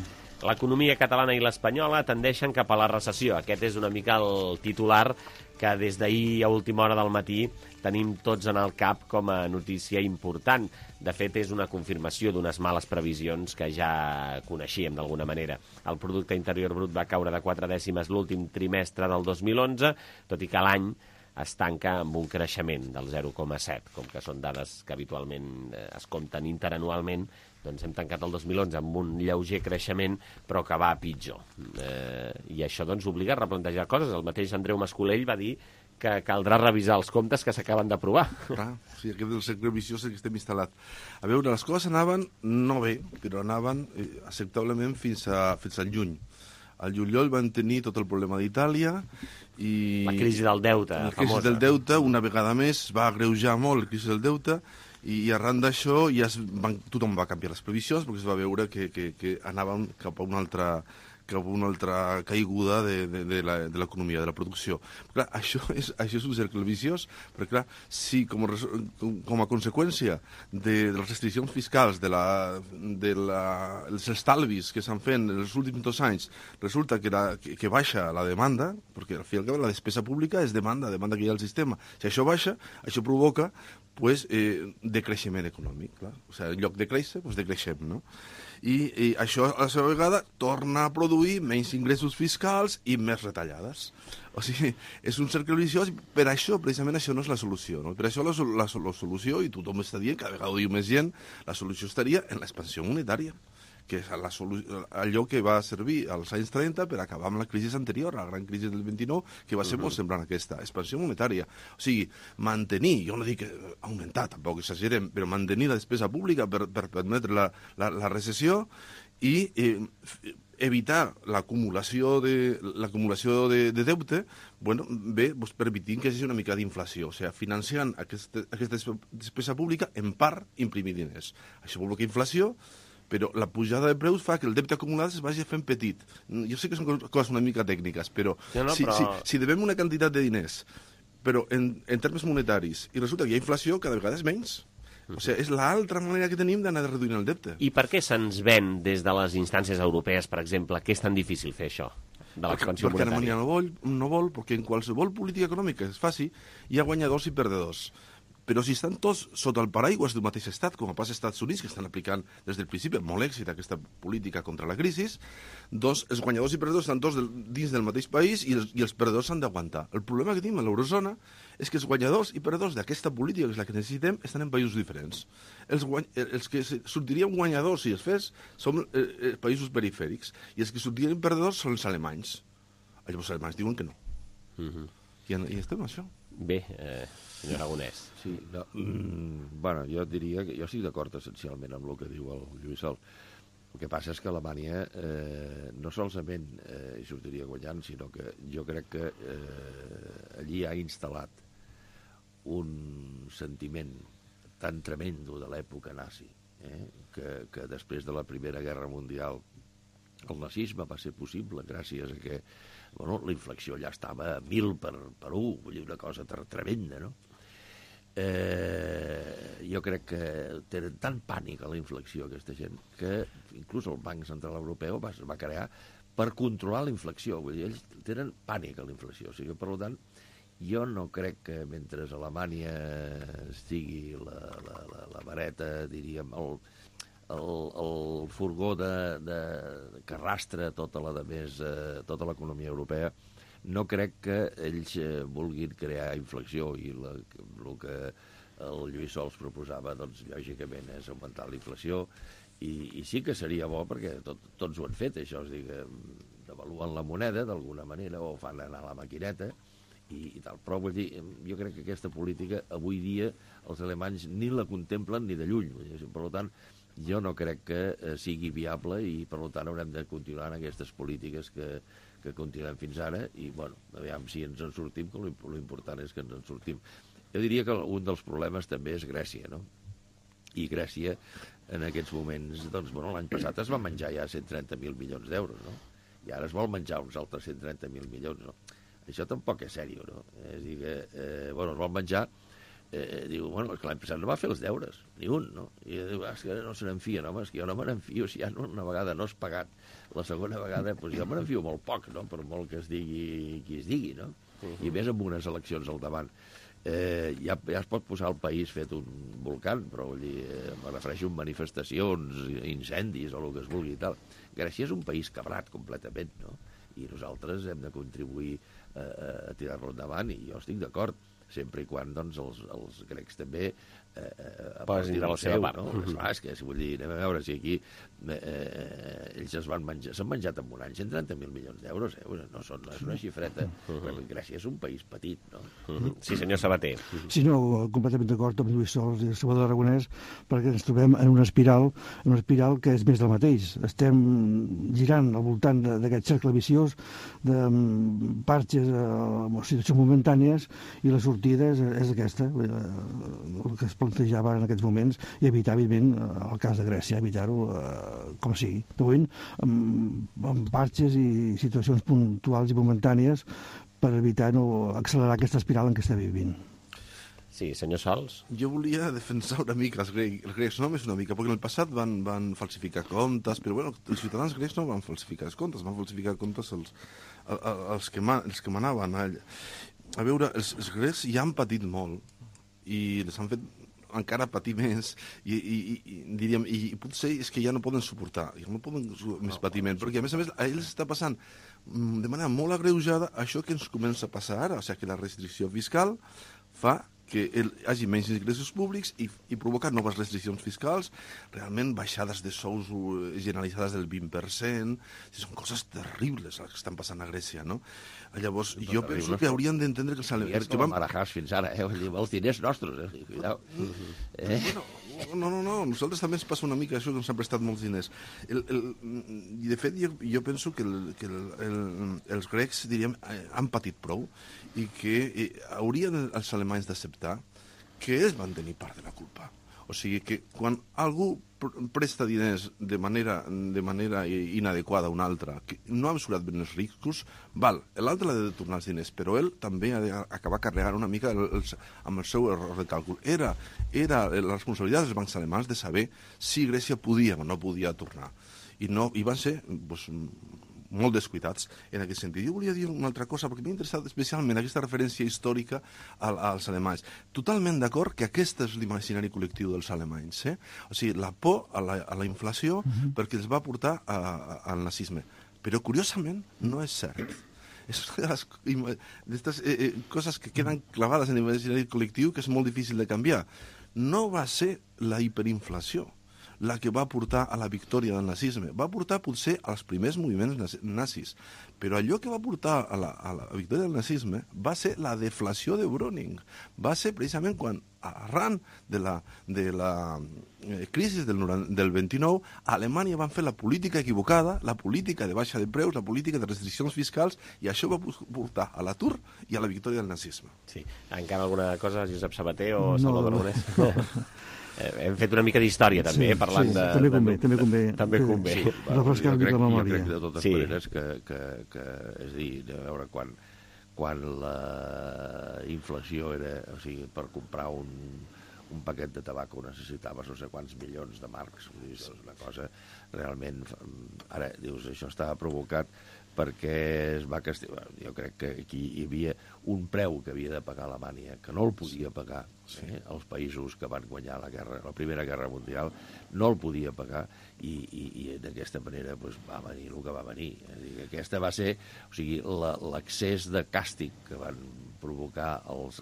L'economia catalana i l'espanyola tendeixen cap a la recessió. Aquest és una mica el titular que des d'ahir a última hora del matí tenim tots en el cap com a notícia important. De fet, és una confirmació d'unes males previsions que ja coneixíem d'alguna manera. El producte interior brut va caure de 4 dècimes l'últim trimestre del 2011, tot i que l'any es tanca amb un creixement del 0,7, com que són dades que habitualment es compten interanualment. Doncs hem tancat el 2011 amb un lleuger creixement, però que va a pitjor. I això doncs obliga a replantejar coses. El mateix Andreu Mascolell va dir que caldrà revisar els comptes que s'acaben d'aprovar. Clar, sí, aquest del cercle viciós que estem instal·lat. A veure, les coses anaven no bé, però anaven acceptablement fins al juny. Al juliol van tenir tot el problema d'Itàlia i... La crisi del deute, famosa. La crisi del deute, una vegada més, va agreujar molt la crisi del deute, i arran d'això tothom va canviar les previsions perquè es va veure que anàvem cap a una altra caiguda de l'economia, de la producció. Clar, això és un cercle viciós, perquè clar, si com a conseqüència de les restriccions fiscals, dels estalvis que s'han fet en els últims 2 anys, resulta que baixa la demanda, perquè al final la despesa pública és demanda que hi ha al sistema. Si això baixa, això provoca decreixement econòmic, clar. O sigui, en lloc de créixer, decreixem, no? I això, a la seva vegada, torna a produir menys ingressos fiscals i més retallades. O sigui, és un cercle viciós, per això, precisament, això no és la solució, no? Per això la solució, i tothom està dient, cada vegada ho diu més gent, la solució estaria en l'expansió monetària, que és allò que va servir als anys 30 per acabar amb la crisi anterior, la gran crisi del 29, que va ser molt semblant a aquesta, expansió monetària. O sigui, mantenir, jo no dic augmentar, tampoc exagerem, però mantenir la despesa pública per permetre la recessió i evitar l'acumulació de deute, permitint que hi hagi una mica d'inflació, o sigui, financiant aquesta despesa pública, en part, imprimir diners. Això provoca inflació, però la pujada de preus fa que el deute acumulat es vagi fent petit. Jo sé que són coses una mica tècniques, però si devem una quantitat de diners, però en termes monetaris, i resulta que hi ha inflació, cada vegada és menys. O sigui, és l'altra manera que tenim d'anar reduint el deute. I per què se'ns ven des de les instàncies europees, per exemple, que és tan difícil fer això, de l'expansió monetària? Perquè Alemanya no vol, perquè en qualsevol política econòmica que es faci, hi ha guanyadors i perdedors. Però si estan tots sota el paraigües d'un mateix estat, com passa als Estats Units, que estan aplicant des del principi amb molt èxit aquesta política contra la crisi, doncs els guanyadors i perdedors estan tots dins del mateix país i els perdedors s'han d'aguantar. El problema que tenim a l'eurozona és que els guanyadors i perdedors d'aquesta política, que és la que necessitem, estan en països diferents. Els que sortirien guanyadors si es fes són països perifèrics, i els que sortirien perdedors són els alemanys. Els alemanys diuen que no. I estem en això. Bé, senyor Aragonès. Sí, no, bueno, jo diria que jo estic d'acord essencialment amb el que diu el Lluís Sol. El que passa és que Alemanya no solament hi sortiria guanyant, sinó que jo crec que allí ha instal·lat un sentiment tan tremendo de l'època nazi, que després de la Primera Guerra Mundial el nazisme va ser possible gràcies a que la inflació ja estava a 1000 per 1, vull dir, una cosa tremenda, no? Jo crec que tenen tant pànic a la inflació aquesta gent que inclús el Banc Central Europeu es va crear per controlar la inflació, vull dir, ells tenen pànic a la inflació, o sigui, per tant, jo no crec que mentre a Alemanya estigui la vareta, diríem, el furgó que arrastra tota l'economia europea, no crec que ells vulguin crear inflació i el que el Lluís Sols proposava, doncs, lògicament, és augmentar la inflació i sí que seria bo perquè tots ho han fet, això, és a dir, devaluen la moneda d'alguna manera o fan anar la maquineta i tal, però vull dir, jo crec que aquesta política avui dia els alemanys ni la contemplen ni de lluny, per tant, jo no crec que sigui viable i per tant haurem de continuar en aquestes polítiques que continuem fins ara i, bueno, aviam si ens en sortim, que l'important és que ens en sortim. Jo diria que un dels problemes també és Grècia, no? I Grècia, en aquests moments, doncs, bueno, l'any passat es va menjar ja 130.000 milions d'euros, no? I ara es vol menjar uns altres 130.000 milions, no? Això tampoc és sèrio, no? És a dir que, bueno, es vol menjar, diu, bueno, l'any passat no va fer els deures, ni un, no? I diu, és que no se n'enfia, no, home, és que jo no me n'enfio, si ja una vegada no has pagat, la segona vegada, doncs jo me n'enfio molt poc, no?, per molt que es digui qui es digui, no? I més amb unes eleccions al davant. Ja es pot posar el país fet un volcán, però vull dir, me refereixo a manifestacions, incendis o el que es vulgui i tal. Grècia és un país cabrat completament, no? I nosaltres hem de contribuir a tirar-lo endavant i jo estic d'acord, sempre i quan doncs, els grecs també posin de la seva part. No? És que, si vull dir, anem a veure si aquí ells s'han menjat en un any 130.000 milions d'euros, no és una xifreta, perquè Grècia és un país petit, no? Sí, senyor Sabater. Sí, no, completament d'acord amb Lluís Sols i Salvador Aragonès, perquè ens trobem en una espiral que és més del mateix. Estem girant al voltant d'aquest cercle viciós de parxes o situacions momentànies i la sortida és aquesta, el que es plantejava en aquests moments, i evitar, evidentment, el cas de Grècia, evitar-ho com sigui. De moment, amb parxes i situacions puntuals i momentànies per evitar no accelerar aquesta espiral en què està vivint. Sí, senyor Sols. Jo volia defensar una mica els grecs, només una mica, perquè en el passat van falsificar comptes, però bueno, els ciutadans grecs no van falsificar els comptes, van falsificar comptes els que manaven. A veure, els grecs ja han patit molt i les han fet encara patir més diríem, i potser és que ja no poden suportar, ja no poden més patiment, perquè a més a ells està passant de manera molt agreujada això que ens comença a passar ara, o sigui que la restricció fiscal fa que hi hagi menys ingressos públics i provoca noves restriccions fiscals, realment baixades de sous generalitzades del 20%, són coses terribles les que estan passant a Grècia, no? Llavors, jo penso que haurien d'entendre que els alemanys... Com a Marajás fins ara, els diners nostres, cuidao. No, nosaltres també ens passa una mica això que ens han prestat molts diners. I de fet, jo penso que els grecs, diríem, han patit prou i que haurien els alemanys d'acceptar que ells van tenir part de la culpa. O sigui que quan algú presta diners de manera inadequada a un altre, que no ha mesurat ben els riscos, l'altre l'ha de tornar els diners, però ell també ha d'acabar carregant una mica amb el seu error de càlcul. Era la responsabilitat dels bancs alemans de saber si Grècia podia o no podia tornar. I van ser molt descuidats en aquest sentit. Jo volia dir una altra cosa, perquè m'ha interessat especialment aquesta referència històrica als alemanys. Totalment d'acord que aquest és l'imaginari col·lectiu dels alemanys. O sigui, la por a la inflació perquè els va portar al nazisme. Però, curiosament, no és cert. És una d'aquestes coses que queden clavades en l'imaginari col·lectiu que és molt difícil de canviar. No va ser la hiperinflació. la que va portar a la victòria del nazisme. Va portar potser als primers moviments nazis, però allò que va portar a la victòria del nazisme va ser la deflació de Browning. Va ser precisament quan, arran de la crisi del 29, a Alemanya van fer la política equivocada, la política de baixa de preus, la política de restriccions fiscals, i això va portar a l'atur i a la victòria del nazisme. Sí. Encara alguna cosa, Josep Sabater o Salvador Aragonès? No. Hem fet una mica d'història, també, parlant de... També convé. Refrescar-li la memòria. Jo crec, de totes maneres, que és a dir, a veure, quan la inflació era... O sigui, per comprar un paquet de tabac necessitaves no sé quants milions de marcs. És una cosa realment... Ara, dius, això estava provocat perquè es va castigar. Jo crec que aquí hi havia un preu que havia de pagar Alemanya, que no el podia pagar. Els països que van guanyar la Primera Guerra Mundial no el podia pagar i d'aquesta manera va venir el que va venir. Aquesta va ser l'accés de càstig que van provocar els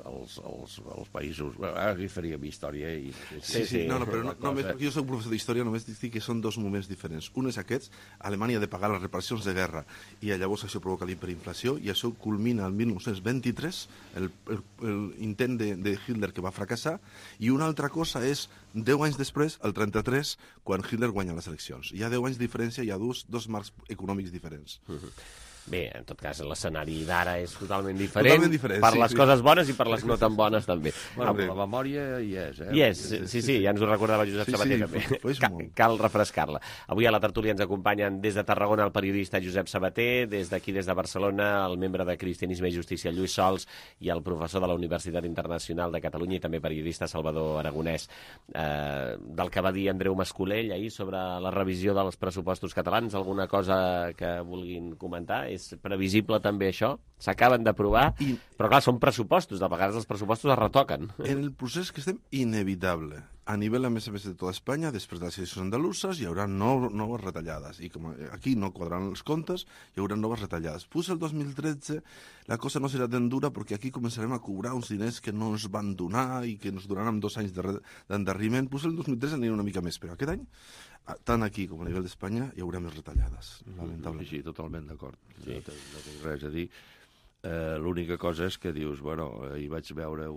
països. Ara hi faríem història. Però només, perquè jo soc professor d'història, només dic que són dos moments diferents. Un és aquests, Alemanya ha de pagar les reparacions de guerra i llavors això provoca l'hiperinflació i això culmina el 1923, l'intent de Hitler que va fracassar, i una altra cosa és 10 anys després, el 33, quan Hitler guanya les eleccions. Hi ha 10 anys de diferència, hi ha dos marcs econòmics diferents. Bé, en tot cas, l'escenari d'ara és totalment diferent per les coses bones i per les no tan bones, també. Bueno, la memòria hi és, Hi és, sí, ja ens ho recordava Josep Sabater, també. Cal refrescar-la. Avui a la tertúlia ens acompanyen des de Tarragona el periodista Josep Sabater, des d'aquí, des de Barcelona, el membre de Cristianisme i Justícia Lluís Sols i el professor de la Universitat Internacional de Catalunya i també periodista Salvador Aragonès. Del que va dir Andreu Mascolell ahir sobre la revisió dels pressupostos catalans, alguna cosa que vulguin comentar? És previsible també això? S'acaben d'aprovar, però clar, són pressupostos, de vegades els pressupostos es retoquen. En el procés que estem, inevitable. A nivell, a més de tota Espanya, després de les eleccions andaluses, hi haurà noves retallades. I com aquí no quadraran els comptes, hi haurà noves retallades. Pues el 2013 la cosa no serà tan dura perquè aquí començarem a cobrar uns diners que no ens van donar i que ens donaran 2 anys d'endarreriment. Pues el 2013 anirà una mica més, però aquest any, tant aquí com a nivell d'Espanya, hi haurà més retallades, lamentablement. Sí, totalment d'acord. No tinc res a dir. L'única cosa és que dius, bueno, hi vaig veure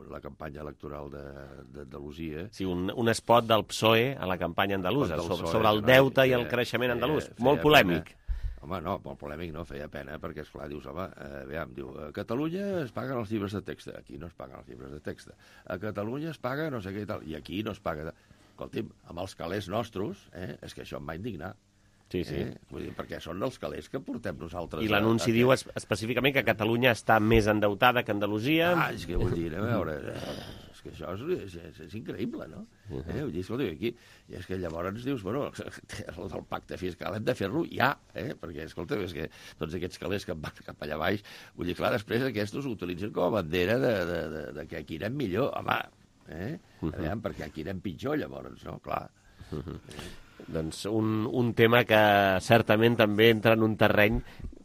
la campanya electoral d'Andalusia. Sí, un spot del PSOE a la campanya andalusa, sobre el deute i el creixement andalús. Molt polèmic. Home, no, molt polèmic no, feia pena, perquè, esclar, dius, home, a Catalunya es paguen els llibres de text, aquí no es paguen els llibres de text, a Catalunya es paga no sé què i tal, i aquí no es paga... Escolti'm, amb els calés nostres, és que això em va indignar. Sí. Vull dir, perquè són els calés que portem nosaltres. I l'anunci diu específicament que Catalunya està més endeutada que Andalusia. És que vull dir, a veure, és que això és increïble, no? Vull dir, escolta, aquí, i és que llavors dius, bueno, el del pacte fiscal hem de fer-lo ja, perquè, escolta, és que tots aquests calés que van cap allà baix, vull dir, clar, després aquests ho utilitzen com a bandera de que aquí anem millor, home, perquè aquí anem pitjor, llavors, no? Clar. Doncs un tema que certament també entra en un terreny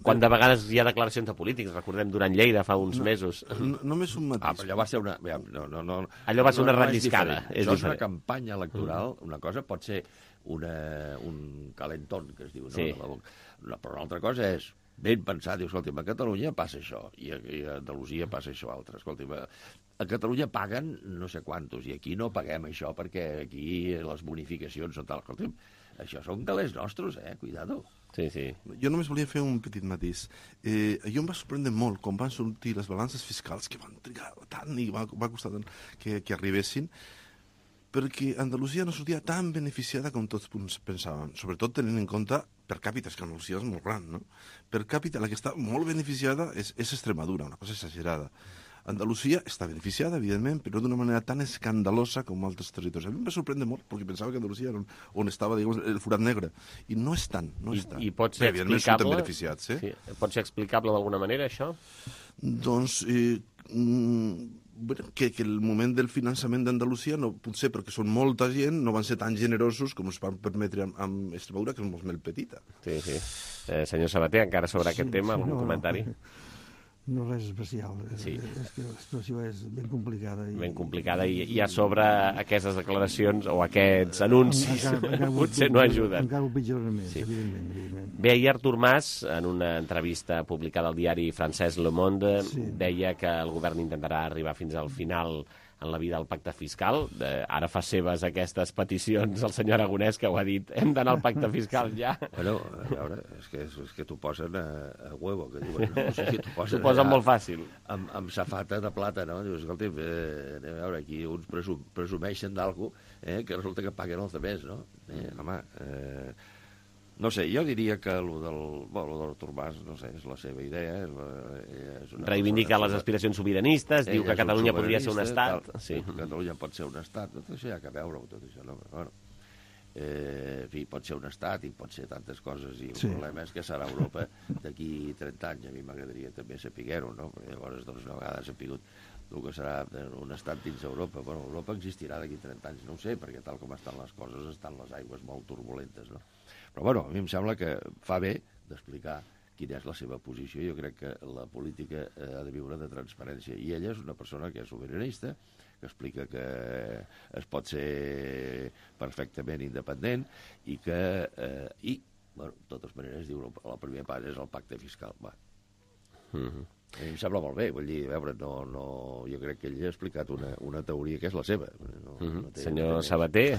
quan de vegades hi ha declaracions de polítics, recordem durant Lleida fa uns mesos. Només un matís. Però allò va ser una... Allò va ser una relliscada. Això és una campanya electoral, una cosa pot ser un calentón, que es diu, no? Però una altra cosa és ben pensar, diu, escolta, a Catalunya passa això, i a Andalusia passa això altre. Escolta, a Catalunya paguen no sé quantos, i aquí no paguem això, perquè aquí les bonificacions són tal. Escolta, això són calés nostres, cuidado. Sí. Jo només volia fer un petit matís. Jo em va sorprendre molt quan van sortir les balances fiscals, que van trigar tant i va costar tant que arribessin, perquè Andalusia no sortia tan beneficiada com tots pensàvem, sobretot tenint en compte per càpita, que Andalusia és molt gran, no? Per càpita, la que està molt beneficiada és Extremadura, una cosa exagerada. Andalusia està beneficiada, evidentment, però d'una manera tan escandalosa com altres territoris. A mi em va sorprendre molt, perquè pensava que Andalusia era on estava, diguem, el forat negre. I no és tant, I pot ser explicable? Beneficiats, Pot ser explicable d'alguna manera, això? Doncs... que el moment del finançament d'Andalusia, no, potser perquè són molta gent, no van ser tan generosos com es van permetre amb Extremadura, que és molt més petita. Sí. Senyor Sabater, encara sobre aquest tema, algun comentari? No res especial. Sí. És que la situació és ben complicada. Ben complicada i a sobre aquestes declaracions o aquests anuncis potser no ajuden. Encara ho pitjoren més, evidentment. Bé, ahir Artur Mas, en una entrevista publicada al diari francès Le Monde, deia que el govern intentarà arribar fins al final en la vida del pacte fiscal. Ara fa seves aquestes peticions el senyor Aragonès, que ho ha dit, hem d'anar al pacte fiscal ja. Bueno, a veure, és que t'ho posen a huevo, que diuen, no? O sigui, t'ho posen molt fàcil. Amb safata de plata, no? Dius, escolta, anem a veure, aquí uns presumeixen d'algú que resulta que paguen els altres, no? Home, no sé, jo diria que el del Artur Mas, no sé, és la seva idea. Reivindica les aspiracions sobiranistes, diu que Catalunya podria ser un estat. Catalunya pot ser un estat, tot això hi ha que veure-ho, tot això, no? Bueno, en fi, pot ser un estat i pot ser tantes coses, i el problema és que serà Europa d'aquí 30 anys. A mi m'agradaria també saber-ho, no? Perquè llavors, doncs, una vegada sapigut el que serà un estat dins Europa. Bueno, Europa existirà d'aquí 30 anys, no ho sé, perquè tal com estan les coses, estan les aigües molt turbulentes, no? Però, bueno, a mi em sembla que fa bé d'explicar quina és la seva posició. Jo crec que la política ha de viure de transparència, i ella és una persona que és sobiranista, que explica que es pot ser perfectament independent i que, bueno, de totes maneres, diu, el primer pas és el pacte fiscal. Va. A mi em sembla molt bé, vull dir, a veure, jo crec que ell ha explicat una teoria que és la seva. Senyor Sabater...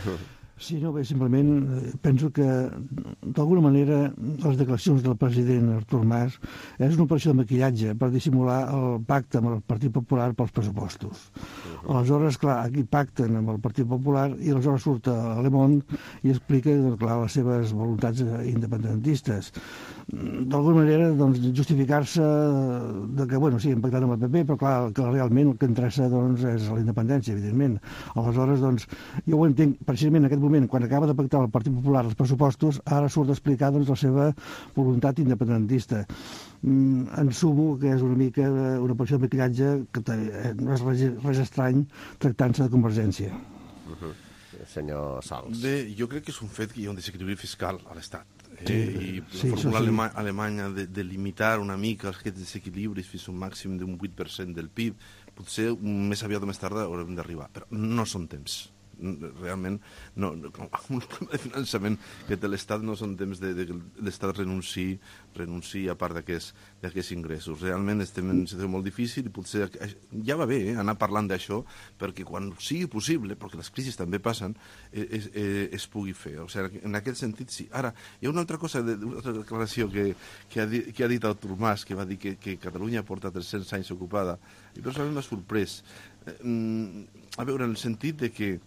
Sí, no, bé, simplement penso que, d'alguna manera, les declaracions del president Artur Mas és una operació de maquillatge per dissimular el pacte amb el Partit Popular pels pressupostos. Aleshores, clar, aquí pacten amb el Partit Popular i aleshores surt a Le Monde i explica, clar, les seves voluntats independentistes. D'alguna manera, doncs, justificar-se que, bueno, sí, hem pactat amb el PP, però, clar, que realment el que interessa, doncs, és la independència, evidentment. Aleshores, doncs, jo ho entenc, precisament en aquest moment, quan acaba de pactar el Partit Popular els pressupostos, ara surt a explicar, doncs, la seva voluntat independentista. En sumo que és una mica una operació de maquillatge que no és res estrany tractant-se de Convergència. Senyor Sals. Bé, jo crec que és un fet que hi ha un desequilibri fiscal a l'Estat. I la fórmula alemanya de limitar una mica aquests desequilibris fins a un màxim d'un 8% del PIB, potser més aviat o més tard haurem d'arribar, però no són temps. Realment, amb un problema de finançament que té l'Estat no són temps de l'Estat renunciï a part d'aquests ingressos. Realment estem en una situació molt difícil i potser ja va bé anar parlant d'això perquè quan sigui possible, perquè les crisis també passen, es pugui fer. O sigui, en aquest sentit, sí. Ara, hi ha una altra cosa, una altra declaració que ha dit Artur Mas, que va dir que Catalunya porta 300 anys ocupada, i personalment m'ha sorprès. A veure, en el sentit de que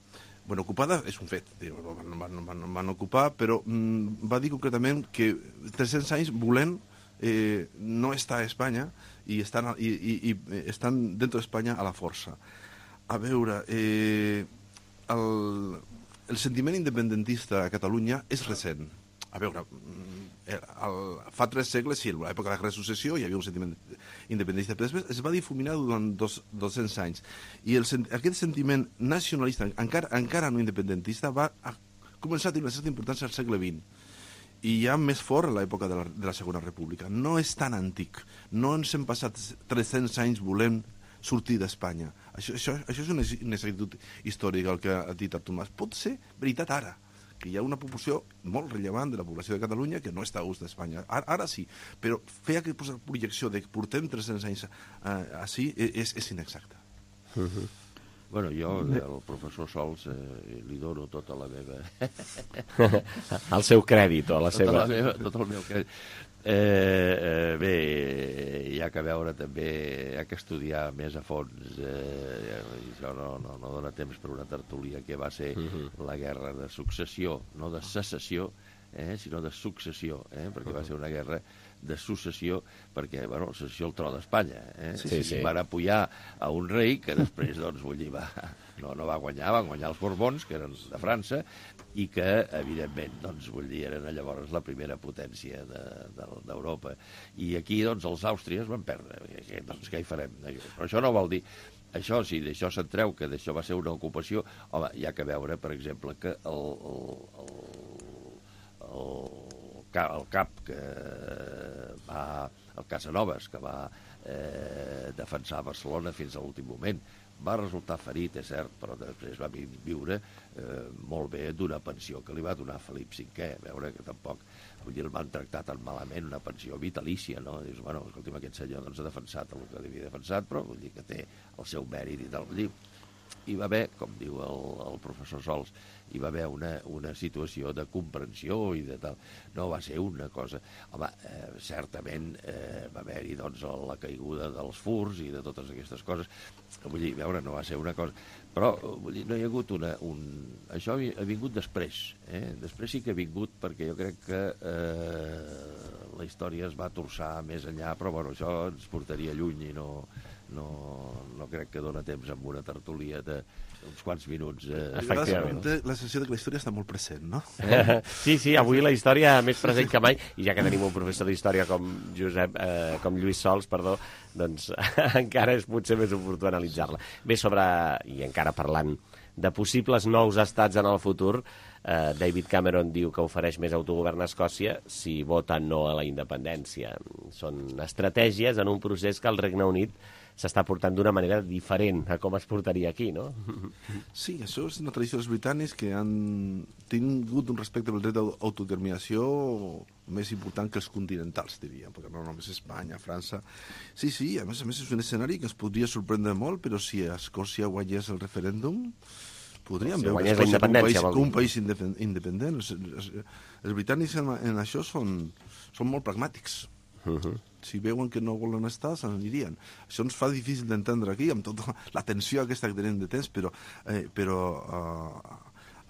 ocupada és un fet, van ocupar, però va dir concretament que 300 anys volent no estar a Espanya i estan dentro d'Espanya a la força. A veure, el sentiment independentista a Catalunya és recent. A veure, fa 3 segles, sí, a l'època de la Guerra de Successió hi havia un sentiment independentista, però després es va difuminar durant 200 anys. I aquest sentiment nacionalista, encara no independentista, va començar a tenir una certa importància al segle XX. I ja més fort a l'època de la Segona República. No és tan antic. No ens hem passat 300 anys volent sortir d'Espanya. Això és una exactitud històrica, el que ha dit Artur Mas. Pot ser veritat ara, que hi ha una proporció molt rellevant de la població de Catalunya que no està a gust d'Espanya. Ara sí, però fer aquesta projecció de que portem 300 anys així és inexacta. Bueno, jo, al professor Sols, li dono tota la meva... El seu crèdit o la seva... Tot el meu crèdit. Bé, hi ha que veure també, hi ha que estudiar més a fons. Això no dona temps per una tertúlia que va ser la guerra de successió, no de secessió, sinó de successió, perquè va ser una guerra de successió, perquè, bueno, la secessió al tron d'Espanya. Sí. Van apoyar a un rei que després, doncs, vull dir, no va guanyar, van guanyar els Borbons, que eren de França, i que, evidentment, doncs, vull dir, eren llavors la primera potència d'Europa. I aquí, doncs, els àustries van perdre. Doncs, què hi farem? Però això no vol dir... Això, si d'això se'n treu, que d'això va ser una ocupació, home, hi ha que veure, per exemple, que el cap que va el Casanovas, que va defensar Barcelona fins a l'últim moment. Va resultar ferit, és cert, però després va viure molt bé d'una pensió que li va donar Felip V. A veure que tampoc, vull dir, el van tractar tan malament, una pensió vitalícia, no? Dius, bueno, escolti'm, aquest senyor doncs ha defensat el que havia defensat, però vull dir que té el seu mèrit i tal. Vull dir, hi va haver, com diu el professor Sols, hi va haver una situació de comprensió i de tal. No va ser una cosa... Home, certament va haver-hi doncs, la caiguda dels furs i de totes aquestes coses. Vull dir, veure, no va ser una cosa... Però, vull dir, no hi ha hagut Això ha vingut després. Després sí que ha vingut perquè jo crec que la història es va torçar més enllà, però bueno, això ens portaria lluny i no crec que dona temps amb una tertúlia d'uns quants minuts. Efectivament. La sensació que la història està molt present, no? Sí, avui la història més present que mai, i ja que tenim un professor d'història com Lluís Sols, doncs encara és potser més oportú analitzar-la. Bé, i encara parlant de possibles nous estats en el futur, David Cameron diu que ofereix més autogovern a Escòcia si vota no a la independència. Són estratègies en un procés que el Regne Unit s'està portant d'una manera diferent a com es portaria aquí, no? Sí, això és una tradició dels britànics que han tingut un respecte pel dret d'autodeterminació més important que els continentals, diria, perquè no només Espanya, França... Sí, a més és un escenari que ens podria sorprendre molt, però si a Escòcia guanyés el referèndum, podríem veure Escòcia com un país independent. Els britànics en això són molt pragmàtics. Si veuen que no volen estar, se n'anirien. Això ens fa difícil d'entendre aquí, amb tota la tensió aquesta que tenim de temps, però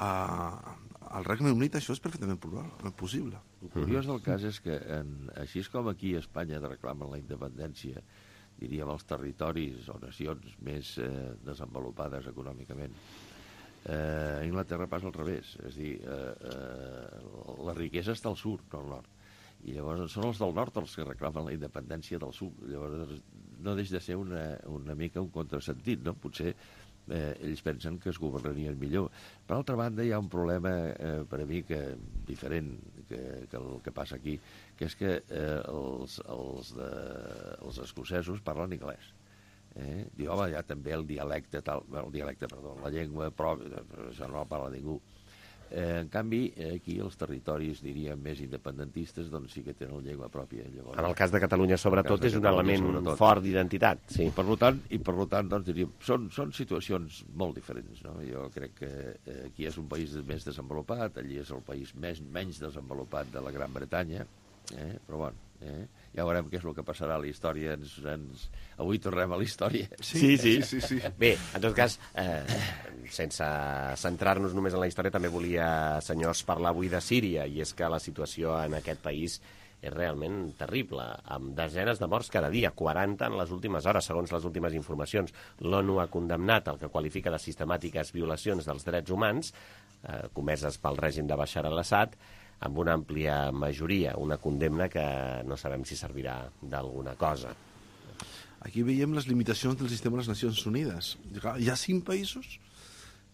al Regne Unit això és perfectament possible. El curiós del cas és que, així com aquí a Espanya reclamen la independència, diríem, els territoris o nacions més desenvolupades econòmicament, a Inglaterra passa al revés. És a dir, la riquesa està al sud, no al nord. I llavors són els del nord els que reclamen la independència del sud. Llavors no deixa de ser una mica un contrasentit, no? Potser ells pensen que es governarien millor. Per altra banda, hi ha un problema per a mi diferent que el que passa aquí, que és que els escocesos parlen anglès. Diu, home, hi ha també la llengua pròpia, això no la parla ningú. En canvi, aquí els territoris, diríem, més independentistes, doncs sí que tenen la llengua pròpia. Llavors, en el cas de Catalunya, sobretot, és un element fort d'identitat. Sí. Per tant, doncs, diríem, són situacions molt diferents, no? Jo crec que aquí és un país més desenvolupat, allí és el país menys desenvolupat de la Gran Bretanya, però bueno... Ja veurem què és el que passarà a la història. Avui tornem a la història. Sí. Bé, en tot cas, sense centrar-nos només en la història, també volia, senyors, parlar avui de Síria, i és que la situació en aquest país és realment terrible, amb desenes de morts cada dia, 40 en les últimes hores, segons les últimes informacions. L'ONU ha condemnat el que qualifica de sistemàtiques violacions dels drets humans comeses pel règim de Bashar al-Assad, amb una àmplia majoria, una condemna que no sabem si servirà d'alguna cosa. Aquí veiem les limitacions del sistema de les Nacions Unides. Hi ha 5 països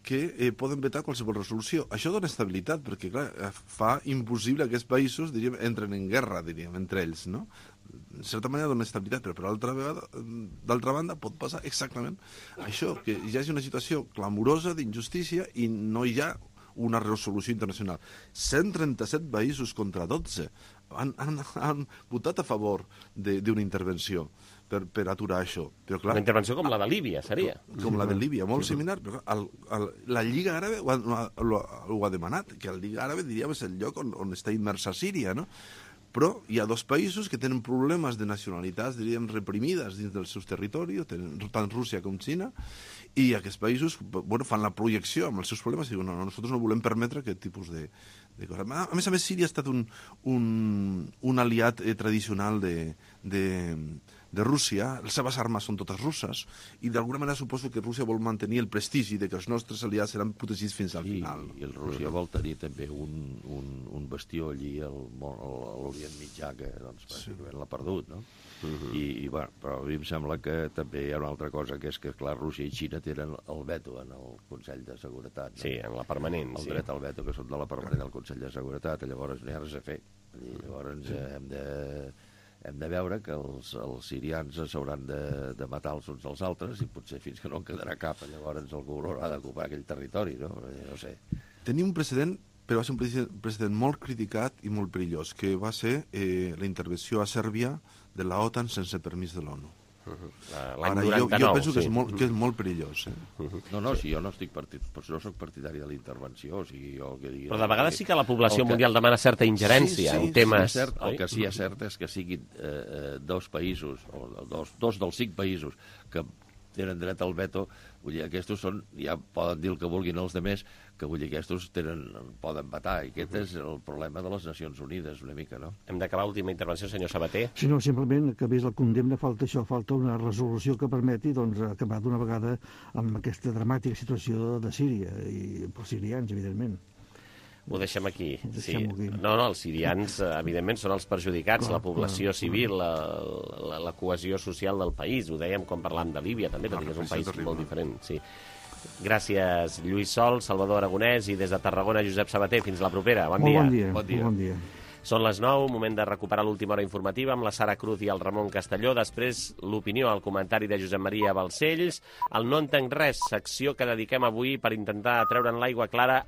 que poden vetar qualsevol resolució. Això dona estabilitat, perquè clar, fa impossible que aquests països, diríem, entren en guerra, diríem, entre ells, no? En certa manera dona estabilitat, però d'altra banda pot passar exactament això, que hi hagi una situació clamorosa d'injustícia i no hi ha una resolució internacional. 137 països contra 12 han votat a favor d'una intervenció per aturar això. Però, clar, una intervenció com la de Líbia, seria. Com la de Líbia, molt similar. Però la Lliga Àrabe ho ha demanat, que la Lliga Àrabe, diríem, és el lloc on està immersa Síria, no? Però hi ha 2 països que tenen problemes de nacionalitats, diríem, reprimides dins dels seus territoris, tant Rússia com Xina, i aquests països fan la projecció amb els seus problemes i diuen, no, nosaltres no volem permetre aquest tipus de coses. A més, Síria ha estat un aliat tradicional de Rússia, les seves armes són totes russes, i d'alguna manera suposo que Rússia vol mantenir el prestigi de que els nostres aliats seran protegits fins al final. I Rússia vol tenir també un bastió allí a l'Orient Mitjà que pràcticament l'ha perdut, no? Però a mi em sembla que també hi ha una altra cosa, que és que, clar, Rússia i Xina tenen el veto en el Consell de Seguretat. Sí, en la permanent. El dret al veto, que són de la permanent del Consell de Seguretat, llavors no hi ha res a fer. Llavors hem de veure que els sirians s'hauran de matar els uns als altres i potser fins que no en quedarà cap, llavors algú haurà d'ocupar aquell territori, no? No sé. Tenim un precedent, però va ser un precedent molt criticat i molt perillós, que va ser la intervenció a Sèrbia de la OTAN sense permís de l'ONU. L'any 99, jo penso que és molt perillós. No, si jo no soc partidari de la intervenció, o sigui, jo el que digui... Però de vegades sí que la població mundial demana certa ingerència en temes... El que sí és cert és que siguin dos països, o dos dels 5 països que tenen dret al veto, vull dir, aquests són, ja poden dir el que vulguin els demés, que vull dir, aquests poden vetar, i aquest és el problema de les Nacions Unides, una mica, no? Hem d'acabar última intervenció, senyor Sabater. Sí, no, simplement que vés la condemna, falta una resolució que permeti acabar d'una vegada amb aquesta dramàtica situació de Síria, i pels sirians, evidentment. Ho deixem aquí. Sí. No, els sirians, evidentment, són els perjudicats, la població civil, la cohesió social del país. Ho dèiem quan parlàvem de Líbia, també, tot i que és un país molt diferent. Sí. Gràcies, Lluís Sol, Salvador Aragonès, i des de Tarragona, Josep Sabater. Fins la propera. Bon dia. Bon dia. Són les 9, moment de recuperar l'última hora informativa amb la Sara Cruz i el Ramon Castelló. Després, l'opinió, el comentari de Josep Maria Balcells. El No entenc res, secció que dediquem avui per intentar treure'n l'aigua clara